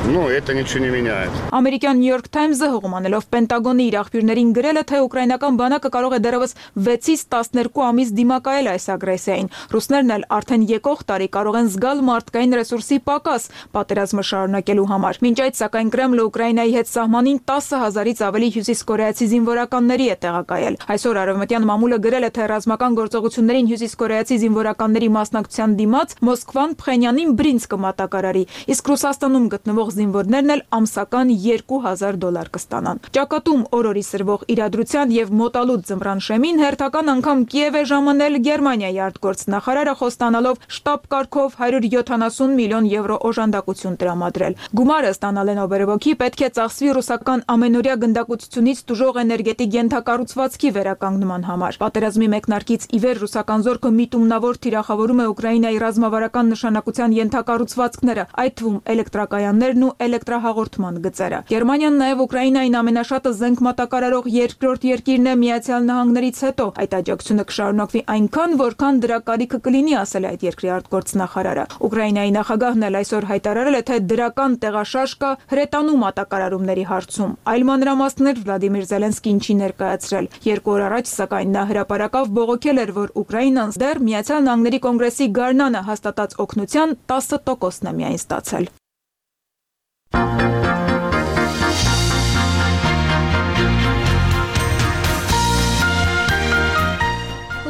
Ну, это ничего не меняет. Ամերիկյան New York Times-ը հողմանելով Պենտագոնի իր աղբյուրներին գրել է, թե ուկրաինական բանակը կարող է դեռևս 6-ից 12 ամիս դիմակայել այս ագրեսիային։ Ռուսներն էլ արդեն եկող տարի կարող են զգալ մարդկային ռեսուրսի պակաս պատերազմը շարունակելու համար։ Մինչ այդ, սակայն Կրեմլը Ուկրաինայի հետ սահմանին 10,000-ից ավելի հյուսիսկորեացի զինվորականների է տեղակայել։ Այսօր արևմտյան մամուլը գրել է, թե ռազմական գործողություններին հյուսիսկորեացի զինվորականների մասնակցության դիմաց Մոսկվան Փխենյանին բրինձ կմատակարարի, իսկ Ռուսաստանում գտնվող կազմող զինվորներն էլ ամսական $2000 կստանան։ Ճակատում օրորի սրվող իրադրության եւ մոտալուտ ձմռան շեմին հերթական անգամ Կիև է ժամանել Գերմանիայի արտգործնախարարը խոստանալով շտաբ կարգով 170 միլիոն եվրո օժանդակություն տրամադրել։ Գումարը ստանալեն օբերևոքի պետք է ծախսվի ռուսական ամենօրյա գնդակոծությունից տուժող էներգետիկ ենթակառուցվածքի վերականգնման համար։ Պատերազմի մեկնարկից ի վեր ռուսական զորքը միտումնավոր թիրախավորում է Ուկրաինայի ռազմավարական նշանակության ենթակառուցվածքները, այդ թվում էլեկտրակայաններն ու էլեկտրահաղորդման գծերը։ Գերմանիան նաև Ուկրաինային ամենաշատը զենք մատակարարող երկրորդ երկիրն է Միացյալ Նահանգներից հետո։ Այդ աջակցությունը կշարունակվի այնքան, որքան դրա կարիքը կլինի, ասել է այդ երկրի արտգործնախարարը։ Ուկրաինայի նախագահն էլ այսօր հայտարարել է, թե դրական տեղաշարժ կա հրետանու մատակարարումների հարցում։ Այլ մանրամասներ Վլադիմիր Զելենսկին չի ներկայացրել։ 2 օր առաջ, սակայն նա հրապարակավ բողոքել էր, որ Ուկրաինան դեռ Միացյալ Նահանգների կոնգրեսի գարնանը հաստատած օգնության 10%-ն է միայն ստացել։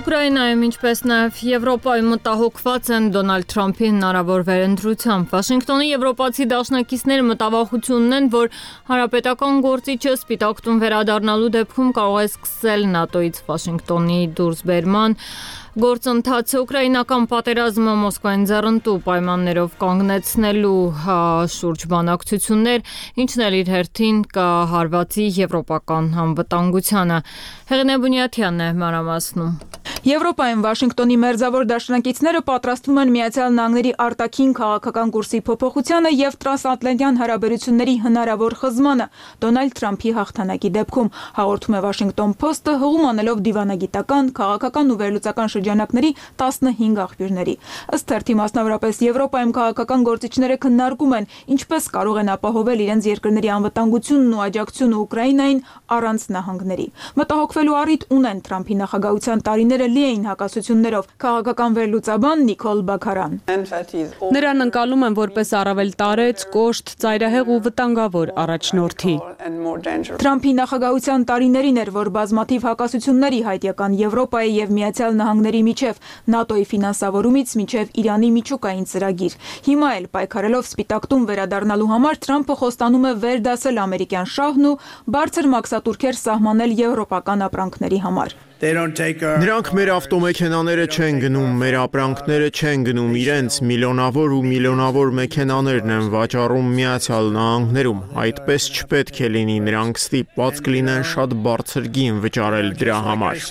Ուկրաինայում, ինչպես նաև Եվրոպայում մտահոգված են Դոնալդ Թրամփի հնարավոր վերընտրությամբ։ Վաշինգտոնի եվրոպացի դաշնակիցները մտավախություն ունեն, որ հանրապետական գործիչը Սպիտակ տուն վերադառնալու դեպքում կարող է սկսել ՆԱՏՕ-ից Վաշինգտոնի դուրսբերման գործընթացը ուկրաինական պատերազմը Մոսկվային ձեռնտու պայմաններով կանգնեցնելու շուրջ բանակցություններ, ինչն էլ իր հերթին կհարվածի եվրոպական անվտանգությանը։ Հեղինե Բունյաթյանն է մանրամասնում։ Եվրոպայում Վաշինգտոնի մերձավոր դաշնակիցները պատրաստվում են Միացյալ Նահանգների արտաքին քաղաքական կուրսի փոփոխությանը եւ տրանսատլանտյան հարաբերությունների հնարավոր խզմանը Դոնալդ Թրամփի հաղթանակի դեպքում, հաղորդում է Washington Post-ը, հղում անելով դիվանագիտական, քաղաքական ու վերլուծական շրջանակների 15 աղբյուրների։ Ըստ թերթի, մասնավորապես Եվրոպայում քաղաքական գործիչները քննարկում են, ինչպես կարող են ապահովել իրենց երկրների անվտանգությունն ու աջակցությունը Ուկրաինային առանց նահանգների։ Մտահոգվելու առիթ ունեն Թրամփի նախագահության տարիները լի էին հակասություններով։ Քաղաքական վերլուծաբան Նիկոլ Բաքարան։ Նրան ընկալում են որպես առավել տարեց, կոշտ, ծայրահեղ ու վտանգավոր առաջնորդի։ Թրամփի նախագահության տարիներին էր, որ բազմաթիվ հակասությունների հայտյական Եվրոպայի եւ Միացյալ Նահանգների միջև, ՆԱՏՕ-ի ֆինանսավորումից մինչև Իրանի միջուկային ծրագիր։ Հիմա էլ պայքարելով Սպիտակ տուն վերադառնալու համար Թրամփը խոստանում է վերդասել ամերիկյան շահն ու բարձր մաքսատուրքեր սահմանել եվրոպական ապրանքների համար։ Նրանք մեր ավտոմեքենաները չեն գնում, մեր ապրանքները չեն գնում, իրենց միլիոնավոր ու միլիոնավոր մեքենաներն են վաճառում Միացյալ Նահանգներում։ Այդպես չպետք է լինի, նրանք ստիպված կլինեն շատ բարձր գին վճարել դրա համար։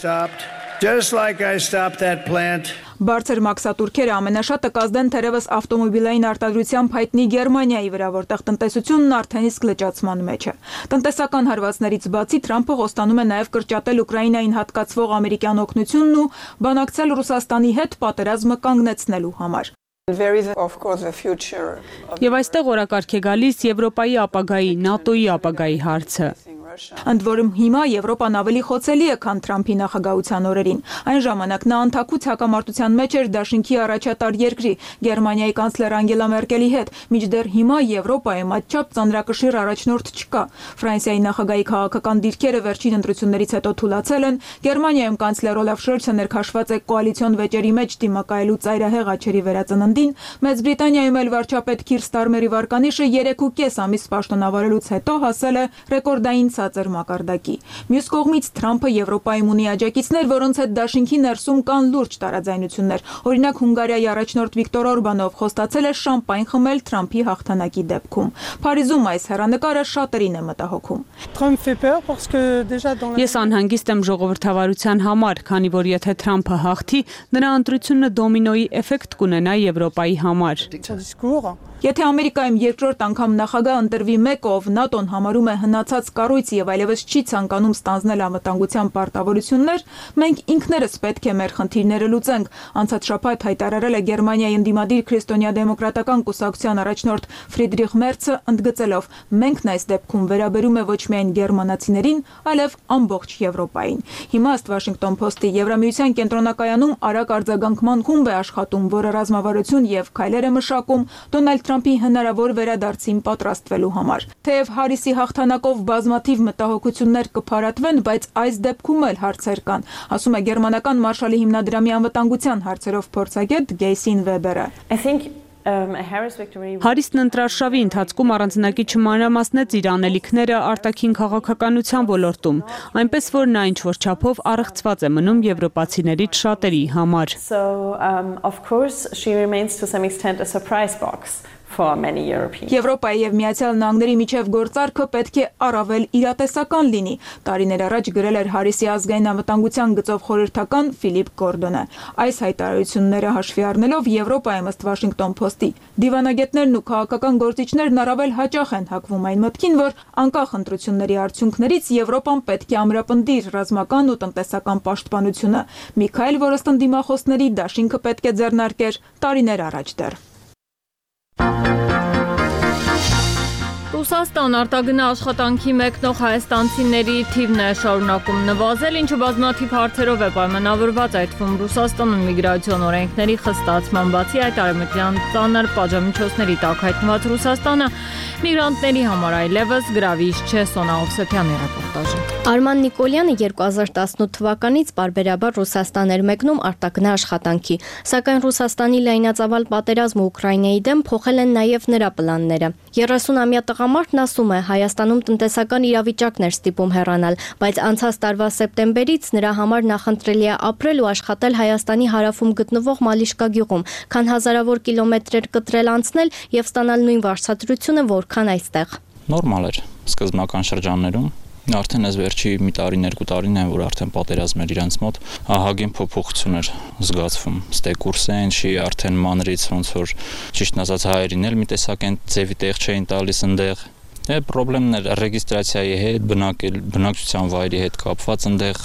Բարձր մաքսատուրքերը ամենաշատը կազդեն թերևս ավտոմոբիլային արտադրությամբ հայտնի Գերմանիայի վրա, որտեղ տնտեսությունն արդեն իսկ լճացման մեջ է։ Տնտեսական հարվածներից բացի Թրամփը խոստանում է նաև կրճատել Ուկրաինային հատկացվող ամերիկյան օգնությունն ու բանակցել Ռուսաստանի հետ պատերազմը կանգնեցնելու համար։ Եվ այստեղ օրակարգ է գալիս Եվրոպայի ապագայի, ՆԱՏՕ-ի ապագայի հարցը։ Ընդ որում հիմա Եվրոպան ավելի խոցելի է, քան Թրամփի նախագահության օրերին։ Այն ժամանակ նա անթաքուց հակամարտության մեջ էր դաշինքի առաջատար երկրի Գերմանիայի կանցլեր Անգելա Մերկելի հետ, մինչդեռ հիմա Եվրոպայում այդչափ ծանրակշիռ առաջնորդ չկա։ Ֆրանսիայի նախագահի քաղաքական դիրքերը վերջին ընտրություններից հետո թուլացել են։ Գերմանիայում կանցլեր Օլաֆ Շոլցը ներքաշված է կոալիցիոն վեճերի մեջ դիմակայելու ծայրահեղ աչերի վերածննդին։ Մեծ Բրիտանիայում էլ վարչապետ Քիր Ստարմերի վարկանիշը 3.5 ամիս պաշտոնավարելուց հետո հասել է ռեկորդային ցածր մակարդակի։ Մյուս կողմից Թրամփը Եվրոպայում ունի աջակիցներ, որոնց հետ դաշինքի ներսում կան լուրջ տարաձայնություններ։ Օրինակ Հունգարիայի առաջնորդ Վիկտոր Օրբանով խոստացել է շամպայն խմել Թրամփի հաղթանակի դեպքում։ Փարիզում այս հեռանկարը շատերին է մտահոգում։ Ես անհանգիստ եմ ժողովրդավարության համար, քանի որ եթե Թրամփը հաղթի, նրա ընտրությունը դոմինոյի էֆեկտ կունենա Եվրոպայի համար։ Եթե Ամերիկայում երկրորդ անգամ նախագահ ընտրվի մեկը, ով ՆԱՏՕ-ն համարում է հնացած կառույց եւ այլևս չի ցանկանում ստանձնել անվտանգության պարտավորություններ, մենք ինքներս պետք է մեր խնդիրները լուծենք, անցած շաբաթ հայտարարել է Գերմանիայի ընդդիմադիր քրիստոնյա-դեմոկրատական կուսակցության առաջնորդ Ֆրիդրիխ Մերցը, ընդգծելով. «Մենքն այս դեպքում վերաբերում է ոչ միայն գերմանացիներին, այլև ամբողջ Եվրոպային»։ Հիմա ըստ Washington Post-ի Եվրամիության կենտրոնակայանում արագ արձագանքման խումբ է աշխատում, որը ռազմավարություն եւ քայլեր է մշակում Դոնալդ Թրամփի հնարավոր վերադարձին պատրաստվելու համար։ Թեև Հարիսի հաղթանակով բազմաթիվ մտահոգություններ կփարատվեն, բայց այս դեպքում էլ հարցեր կան, ասում է գերմանական Մարշալի հիմնադրամի անվտանգության հարցերով փորձագետ Գեյսին Վեբերը։ Հարիսն ընտրարշավի ընթացքում առանձնակի չմանրամասնեց իր անելիքները արտաքին քաղաքականության ոլորտում, այնպես որ նա ինչ-որ չափով առեղծված է մնում եվրոպացիներից շատերի համար։ Եվրոպայի եւ Միացյալ Նահանգների միջև գործարքը պետք է առավել իրատեսական լինի, տարիներ առաջ գրել էր Հարիսի ազգային անվտանգության գծով խորհրդական Ֆիլիպ Գորդոնը։ Այս հայտարարությունները հաշվի առնելով Եվրոպայում ըստ Washington Post-ի դիվանագետներն ու քաղաքական գործիչներն առավել հաճախ են հակվում այն մտքին, որ անկախ ընտրությունների արդյունքներից Եվրոպան պետք է ամրապնդի իր ռազմական ու տնտեսական պաշտպանությունը։ Միքայել, որը ըստ դիմախոսների դաշինքը պետք է ձեռնարկեր տարիներ առաջ դեռ։ Ռուսաստան արտագնա աշխատանքի մեկնող հայաստանցիների թիվն է շարունակում նվազել, ինչը բազմաթիվ հարցերով է պայմանավորված, այդ թվում Ռուսաստանում միգրացիոն օրենքների խստացման բացի այդ արևմտյան ծանր պատժամիջոցների տակ հայտնված Ռուսաստանը միգրանտների համար այլևս գրավիչ չէ։ Սոնա Օվսեփյանի ռեպորտաժը։ Արման Նիկոլյանը 2018 թվականից պարբերաբար Ռուսաստան էր մեկնում արտագնա աշխատանքի, սակայն Ռուսաստանի լայնածավալ պատերազմը Ուկրաինայի դեմ փոխել են նաև նրա պլանները։ 30-ամյա տղամարդն ասում է, Հայաստանում տնտեսական իրավիճակն էր ստիպում հեռանալ, բայց անցած տարվա սեպտեմբերից նրա համար նախընտրելի է ապրել ու աշխատել Հայաստանի հարավում գտնվող Մալիշկա գյուղում, քան հազարավոր կիլոմետրեր կտրել անցնել եւ ստանալ նույն վարձատրությունը, որքան այստեղ։ Նորմալ էր սկզբնական շրջաններում։ Արդեն այս վերջի մի տարին, երկու տարին է, որ արդեն պատերազմ էր իրանց մոտ, ահագին փոփոխություն էր զգացվում։ Ստեկուրսը ինչի արդեն մանրից ոնց որ ճիշտն ասած հայերին էլ մի տեսակ են ձևի տեղ չէին տալիս ընդեղ։ Պրոբլեմներ ռեգիստրացիայի հետ, բնակչության վայրի հետ կապված ընդեղ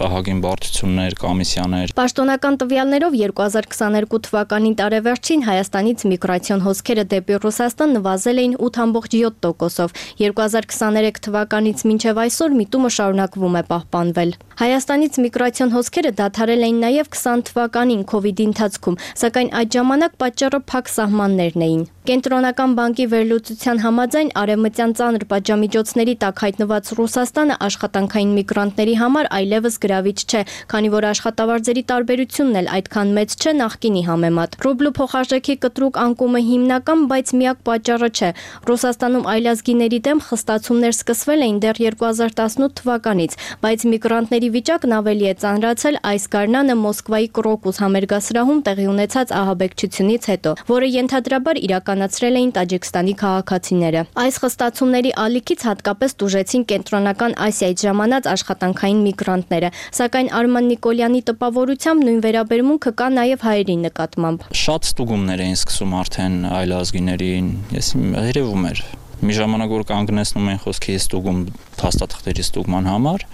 ահագին բարդություններ, կոմիսիաներ։ Պաշտոնական տվյալներով 2022 թվականի տարեվերջին Հայաստանից միգրացիոն հոսքերը դեպի Ռուսաստան նվազել էին 8.7%-ով։ 2023 թվականից մինչև այսօր միտումը շարունակվում է պահպանվել։ Հայաստանից միգրացիոն հոսքերը դադարել էին նաև 20 թվականին COVID-ի ընթացքում, սակայն այդ ժամանակ պատճառը փակ սահմաններն էին։ Կենտրոնական բանկի վերլուծության համաձայն արևմտյան ծանր պատժամիջոցների տակ հայտնված Ռուսաստանը աշխատանքային միգրանտների համար այլևս գրավիչ չէ, քանի որ աշխատավարձերի տարբերությունն էլ այդքան մեծ չէ նախկինի համեմատ։ Ռուբլու փոխարժեքի կտրուկ անկումը հիմնական, բայց միակ պատճառը չէ։ Ռուսաստանում այլազգիների դեմ խստացումներ սկսվել էին դեռ 2018 թվականից, բայց միգրանտների վիճակն ավելի է ծանրացել այս գարնանը Մոսկվայի Կրոկուս համերգասրահում տեղի ունեցած ահաբեկչությունից հետո, որը ենթադրաբար իրականացրել էին Տաջիկստանի քաղաքացիները։ Այս խստացումների ալիքից հատկապես տուժեցին Կենտրոնական Ասիայից ժամանած աշխատանքային միգրանտները, սակայն Արման Նիկոլյանի տպավորությամբ նույն վերաբերմունքը կա նաև հայերի նկատմամբ։ Շատ ստուգումներ էին սկսում արդեն այլազգիներին, ես երևում էր։ Մի ժամանակ որ կանգնեցնում են խոսքի ստուգում փաստաթղթերի ստուգման համար,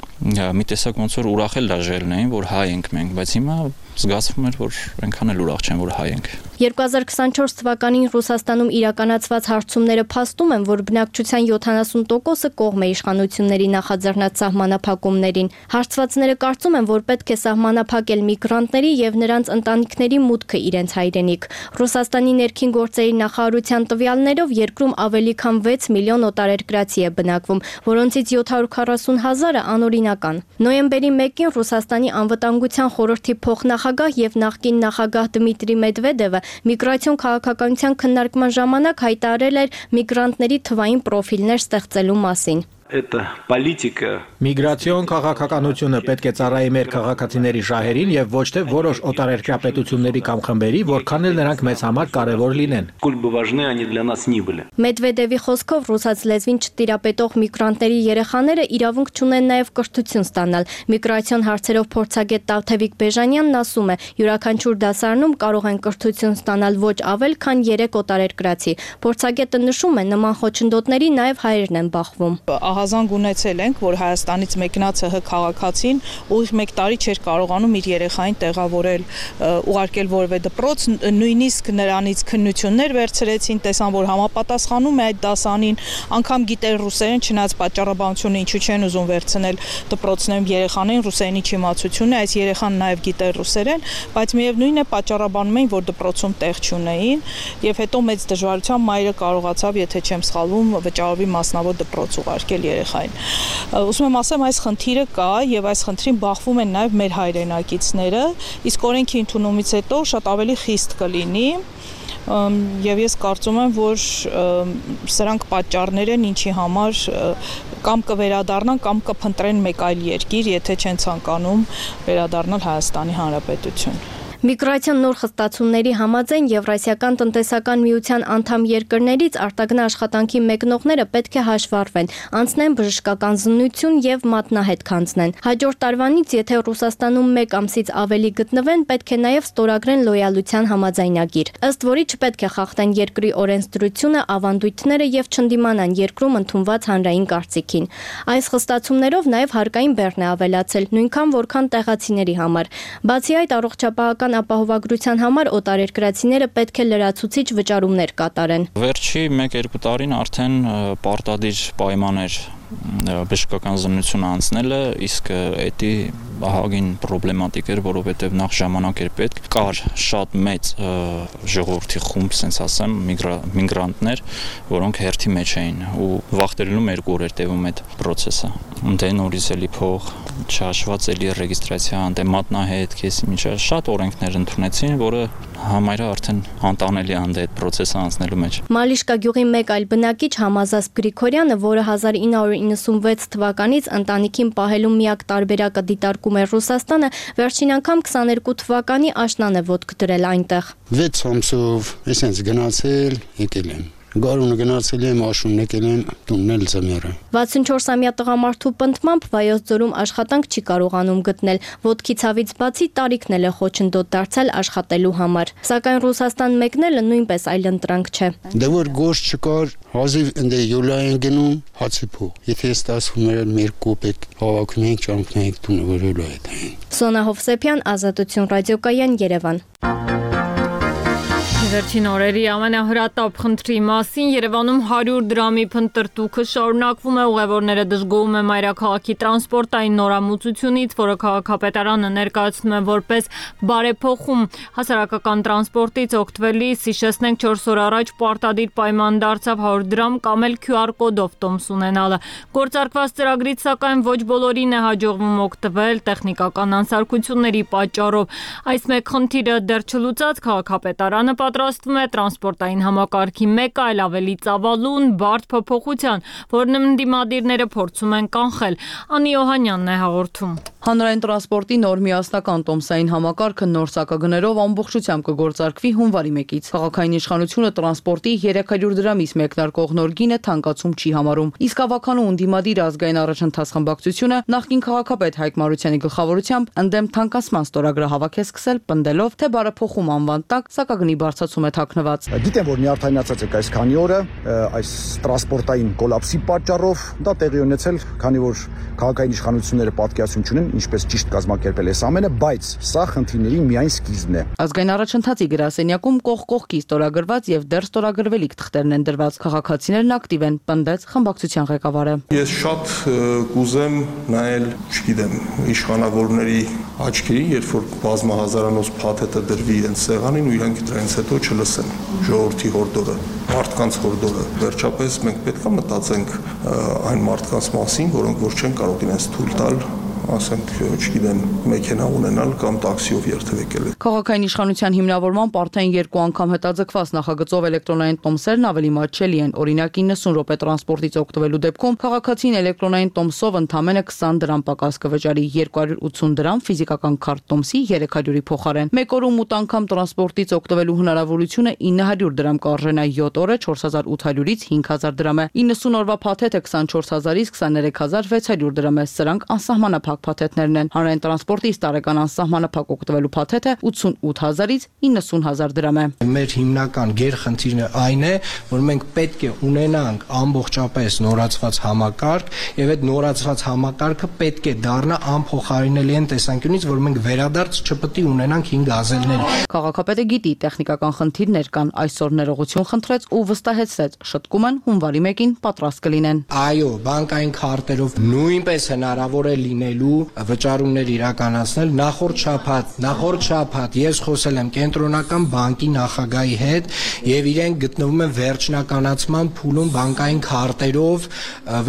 մի տեսակ ոնց որ ուրախել դաժելն էին, որ հայ ենք մենք, բայց հիմա զգացվում էր, որ այնքան էլ ուրախ չեն, որ հայ ենք։ 2024 թվականին Ռուսաստանում իրականացված հարցումները փաստում են, որ բնակչության 70%-ը կողմ է իշխանությունների նախաձեռնած սահմանափակումներին։ Հարցվածները կարծում են, որ պետք է սահմանափակել միգրանտների եւ նրանց ընտանիքների մուտքը իրենց հայրենիք։ Ռուսաստանի ներքին գործերի նախարարության տվյալներով երկրում ավելի քան 6 միլիոն օտարերկրացի է բնակվում, որոնցից 740,000-ը անօրինական։ Նոյեմբերի 1-ին Ռուսաստանի անվտանգության խորհրդի փոխնախագահ եւ նախկին նախագահ Դմիտրի Մեդվեդևը միգրացիոն քաղաքականության քննարկման ժամանակ հայտարարել էր միգրանտների թվային պրոֆիլներ ստեղծելու մասին։ Միգրացիոն քաղաքականությունը պետք է ծառայի մեր քաղաքացիների շահերին եւ ոչ թե որոշ օտարերկրյա պետությունների կամ խմբերի, որքան էլ նրանք մեզ համար կարևոր լինեն։ Մեդվեդևի խոսքով ռուսաց լեզվին չտիրապետող միգրանտների երեխաները իրավունք չունեն նաև կրթություն ստանալ։ Միգրացիոն հարցերով փորձագետ Տավթևիկ Բեժանյանն ասում է, յուրաքանչյուր դասարանում կարող են կրթություն ստանալ ոչ ավել, քան 3 օտարերկրացի։ Փորձագետը նշում է, նման խոչընդոտների նաև հայերն են բախվում։ Ահազանգ ունեցել ենք, որ Հայաստանից մեկնած ՀՀ քաղաքացին ուղիղ 1 տարի չէր կարողանում իր երեխային տեղավորել, ուղարկել որևէ դպրոց, նույնիսկ նրանից քննություններ վերցրեցին, տեսան, որ համապատասխանում է այդ դասանին, անգամ գիտեր ռուսերեն, չնայած պատճառաբանությունը ինչու չեն ուզում վերցնել դպրոցներում երեխաներին ռուսերենի չիմացությունը, այս երեխան նաև գիտեր ռուսերեն, բայց միևնույն է պատճառաբանում էին, որ դպրոցում տեղ չունեին, եւ հետո մեծ դժվարությամբ մայրը կարողացավ, եթե չեմ սխալվում, վճարովի մասնավոր դպրոց ուղարկել երեխային։ Ուզում եմ ասեմ, այս խնդիրը կա եւ այս խնդրին բախվում են նաեւ մեր հայրենակիցները, իսկ օրենքի ընդունումից հետո շատ ավելի խիստ կլինի, եւ ես կարծում եմ, որ սրանք պատճառներ են, ինչի համար կամ կվերադառնան կամ կփնտրեն մեկ այլ երկիր, եթե չեն ցանկանում վերադառնալ Հայաստանի Հանրապետություն։ Միգրացիոն նոր խստացումների համաձայն Եվրասիական տնտեսական միության անդամ երկրներից արտագնա աշխատանքի մեկնողները պետք է հաշվառվեն, անցնեն բժշկական զննություն եւ մատնահետ քանձնեն։ Հաջորդ տարվանից, եթե Ռուսաստանում 1 ամսից ավելի գտնվեն, պետք է նաեւ ստորագրեն լոյալության համաձայնագիր, ըստ որի չպետք է խախտեն երկրի օրենսդրությունը, ավանդույթները եւ չընդդիմանան երկրում ընդունված հանրային կարծիքին։ Այս խստացումներով նաեւ հարկային բեռն է ավելացել, նույնքան որքան տեղացիների համար։ Բացի այդ, առողջապահական ապահովագրության համար օտարերկրացիները պետք է լրացուցիչ վճարումներ կատարեն։ Վերջի 1-2 տարին արդեն պարտադիր պայման էր բժշկական զննությունը անցնելը, իսկ էդի ահագին պրոբլեմատիկ էր, որովհետև նախ ժամանակ էր պետք, կար շատ մեծ ժողովրդի խումբ, ասենց ասեմ, միգրանտներ, որոնք հերթի մեջ էին ու վախտերելում 2 օր էր տևում այդ process-ը։ Դե նորից էլի փող, չհաշված էլի ռեգիստրացիա, դե մատնահետ, քեսի միջա շատ օրենքներ ընդունեցին, որը համարյա արդեն անտանելի է այդ process-ը անցնելու մեջ։ Մալիշկա գյուղի մեկ այլ բնակիչ Համազասպ Գրիգորյանը, որը 1996 թվականից ընտանիքին պահելու միակ տարբերակը դիտարկում է Ռուսաստանը, վերջին անգամ 22 թվականի աշնան է ոտք դրել այնտեղ։ 6 ամսով էսենց գնացել, եկել եմ։ Գարունը գնացել եմ, աշունն եկել եմ, տունն էլ ձմեռը։ 64-ամյա տղամարդու պնդմամբ Վայոց ձորում աշխատանք չի կարողանում գտնել, ոտքի ցավից բացի տարիքն էլ է խոչընդոտ դարձել աշխատելու համար։ Սակայն Ռուսաստան մեկնելը նույնպես այլընտրանք չէ։ Դե որ գործ չկար, հազիվ ընդ յոլա են գնում, հացի փող։ Եթե ստացվում էր 2 կոպեկ հավաքում ենք, ճամփում ենք տունը որ յոլա է։ Սոնա Հովսեփյան, Ազատություն ռադիոկայան, Երևան։ Վերջին օրերի ամենահրատապ խնդրի մասին Երևանում 100 դրամի փնտրտուքը շարունակվում է, ուղևորները դժգոհում են մայրաքաղաքի տրանսպորտային նորամուծությունից, որը քաղաքապետարանը ներկայացնում է որպես բարեփոխում։ Հասարակական տրանսպորտից օգտվելիս, հիշեցնենք 4 օր առաջ պարտադիր պայման դարձավ 100 դրամ կամ էլ QR կոդով տոմս ունենալը։ Գործարկված ծրագրից սակայն ոչ բոլորին է հաջողվում օգտվել տեխնիկական անսարքությունների պատճառով։ Այս մեկ խնդիրը դեռ չլուծած քաղաքապետարանը պատրաստվում է տրանսպորտային համակարգի մեկ այլ ավելի ծավալուն, բարդ փոփոխության, որն ընդդիմադիրները փորձում են կանխել։ Անի Օհանյանն է հաղորդում։ Հանրային տրանսպորտի նոր միասնական տոմսային համակարգը նոր սակագներով ամբողջությամբ կգործարկվի հունվարի 1-ից։ Քաղաքային իշխանությունը տրանսպորտի 300 դրամից մեկնարկող նոր գինը թանկացում չի համարում։ Իսկ ավականու ընդդիմադիր ազգային առաջընթաց խմբակցությունը նախկին քաղաքապետ Հայկ Մարությանի գլխավորությամբ ընդդեմ թանկացման ստորագրը հավաքել սկսել, պնդելով, թե բարեփոխում անվան տակ սակագնի բարձրացում է թաքնված։ Գիտեմ, որ նյարդայնացած է այս քանի օրը այս տրանսպորտային կոլապսի պատճառով, դա տեղի ունեցել, քանի որ քաղաքային իշխանությունները պատկերացում չունեն ինչպես ճիշտ կազմակերպել այս ամենը, բայց սա խնդիրների միայն սկիզբն է։ Ազգային առաջընթացի գրասենյակում կողքի ստորագրված եւ դեռ ստորագրվելիք թղթերն են դրված։ Քաղաքացիներն ակտիվ են, պնդեց խմբակցության ղեկավարը։ Ես շատ կուզեմ նայել, չգիտեմ, իշխանավորների աչքերին, երբ որ բազմահազարանոց փաթեթը դրվի իրենց սեղանին ու իրանք դրանից հետո չլսեն ժողովրդի հորդորը, մարդկանց հորդորը։ Վերջապես մենք պետք է մտածենք այն մարդկանց մասին, որոնք որ չեն կարող իրենց թույլ տալ ասենք, չգիտեմ, մեքենա ունենալ կամ տաքսիով երթևեկել։ Քաղաքային իշխանության հիմնավորմամբ արդեն 2 անգամ հետաձգված նախագծով էլեկտրոնային տոմսերն ավելի մատչելի են։ Օրինակ 90 րոպե տրանսպորտից օգտվելու դեպքում քաղաքացին էլեկտրոնային տոմսով ընդամենը 20 դրամ պակաս կվճարի, 280 դրամ ֆիզիկական քարտ տոմսի 300-ի փոխարեն։ Մեկ օրում 8 անգամ տրանսպորտից օգտվելու հնարավորությունը 900 դրամ կարժենա, 7 օրը 4800-ից 5000 դրամ է։ 90 օրվա փաթեթը 24000-ից 23600 դրամ է։ Սրանք անսահմանափակ փաթեթներն են։ Հանրային տրանսպորտից տարեկան անսահմանափակ օգտվելու փաթեթը 88000-ից 90000 դրամ է։ Մեր հիմնական գերխնդիրը այն է, որ մենք պետք է ունենանք ամբողջապես նորացված համակարգ, եւ այդ նորացված համակարգը պետք է դառնա անփոխարինելի այն տեսանկյունից, որ մենք վերադարձ չպետք է ունենանք 5 գազելներ։ Քաղաքապետը գիտի տեխնիկական խնդիրներ կան, այսօր ներողություն խնդրեց ու վստահեցրեց, շտկում են հունվարի 1-ին պատրաստ կլինեն։ Այո, բանկային քարտերով նույնպես հնարավոր է լինելու լինելու վճարումներ իրականացնել։ Նախորդ շաբաթ ես խոսել եմ կենտրոնական բանկի նախագահի հետ եւ իրենք գտնվում են վերջնականացման փուլում բանկային քարտերով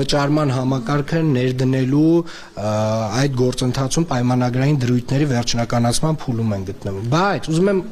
վճարման համակարգը ներդնելու այդ գործընթացում պայմանագրային դրույթների վերջնականացման փուլում են գտնվում։ Բայց ուզում եմ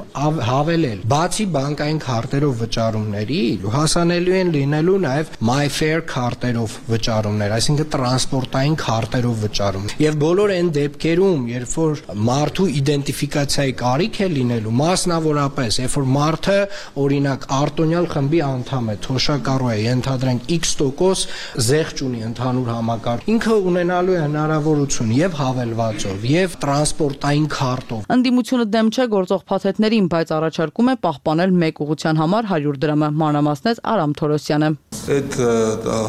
հավելել, բացի բանկային քարտերով վճարումների հասանելի են լինելու նաեւ MyFair քարտերով վճարումներ, այսինքն տրանսպորտային քարտերով վճարում։ Եվ բոլոր այն դեպքերում, երբ որ մարդու իդենտիֆիկացիայի կարիք է լինելու, մասնավորապես, երբ որ մարդը օրինակ արտոնյալ խմբի անդամ է, թոշակառու է, ենթադրենք X% զեղչ ունի ընդհանուր համակարգ, ինքը ունենալու է հնարավորություն եւ հավելվածով, եւ տրանսպորտային քարտով։ Ընդդիմությունը դեմ չէ գործող փաթեթներին, բայց առաջարկում է պահպանել մեկ ուղղության համար 100 դրամը, մանրամասնեց Արամ Թորոսյանը։ Այդ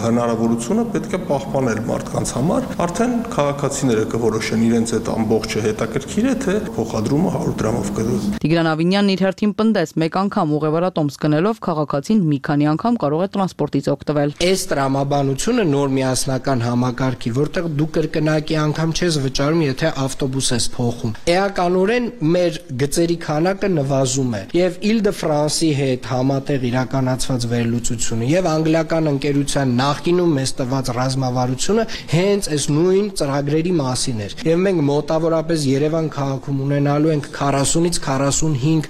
հնարավորությունը պետք է պահպանել մարդկանց համար, արդեն քաղաքացիները կորոշեն իրենց այդ ամբողջը հետաքրքիր է, թե փոխադրումը 100 դրամով կդու։ Տիգրան Ավինյանն իր հերթին պնդեց, մեկ անգամ ուղևորատոմս գնելով քաղաքացին մի քանի անգամ կարող է տրանսպորտից օգտվել։ Այս տրամաբանությունը նոր միասնական համակարգի, որտեղ դու կրկնակի անգամ չես վճարում, եթե ավտոբուս ես փոխում։ Էականորեն մեր գծերի քանակը նվազում է, եւ Île-de-France-ի հետ համատեղ իրականացված վերլուծությունը եւ անգլիական ընկերության նախկինում մեզ տված ռազմավարությունը հենց այս նույն ծրագրերի մասին էր։ Եվ մենք մոտավորապես Երևան քաղաքում ունենալու ենք 40-ից 45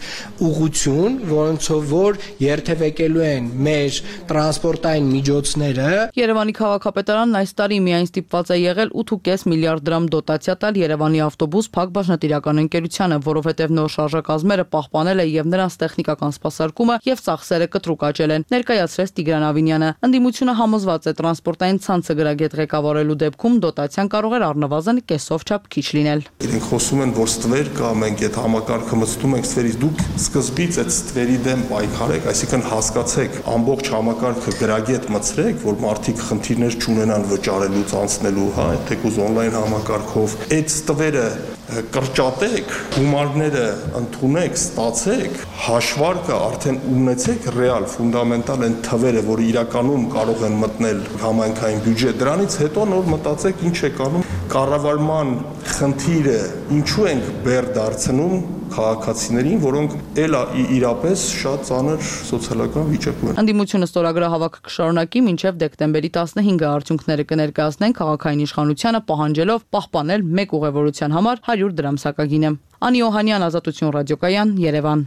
ուղղություն, որոնցով որ երթևեկելու են մեր տրանսպորտային միջոցները։ Երևանի քաղաքապետարանն այս տարի միայն ստիպված է եղել 8.5 միլիարդ դրամ դոտացիա տալ Երևանի ավտոբուս Փակ բաժնետիրական ընկերությանը, որովհետև նոր շարժակազմերը պահպանել է եւ նրանց տեխնիկական սպասարկումը եւ ծախսերը կտրուկ աճել են, ներկայացրեց Տիգրան Ավինյանը։ Ընդդիմությունը համոզված է տրանսպորտային ցանցը գրագետ ղեկավարելու դեպքում դոտացիան կարող է առնվազն կեսով չափ քիչ լինել։ Իրենք խոսում են, որ ստվեր կա, մենք այդ համակարգը մտնում ենք ստվերից, դուք սկզբից այդ ստվերի դեմ պայքարեք, այսինքն հասկացեք, ամբողջ համակարգը գրագետ մտցրեք, որ մարդիկ խնդիրներ չունենան վճարելուց անցնելու, հա, թեկուզ on-line համակարգով, այդ ստվերը կրճատեք, գումարները ընդունեք, ստացեք, հաշվարկը արդեն ունեցեք ռեալ, ֆունդամենտալ են թվերը, որ իրականում կարող են մտնել համայնքային բյուջե, դրանից հետո նոր մտածեք ինչ եք անում, կառավարման խնդիրը ինչու ենք բեր դարձնում քաղաքացիներին, որոնք էլ իրապես շատ ծանր սոցիալական վիճակում են։ Ընդդիմությունը ստորագրահավաքը կշարունակի մինչև դեկտեմբերի 15-ը արդյունքները կներկայացնեն քաղաքային իշխանությանը, պահանջելով պահպանել մեկ ուղևորության համար 100 դրամ սակագինը։ Անի Օհանյան, Ազատություն ռադիոկայան, Երևան։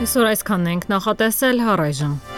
Այսօր այսքանն ենք նախատեսել, առայժմ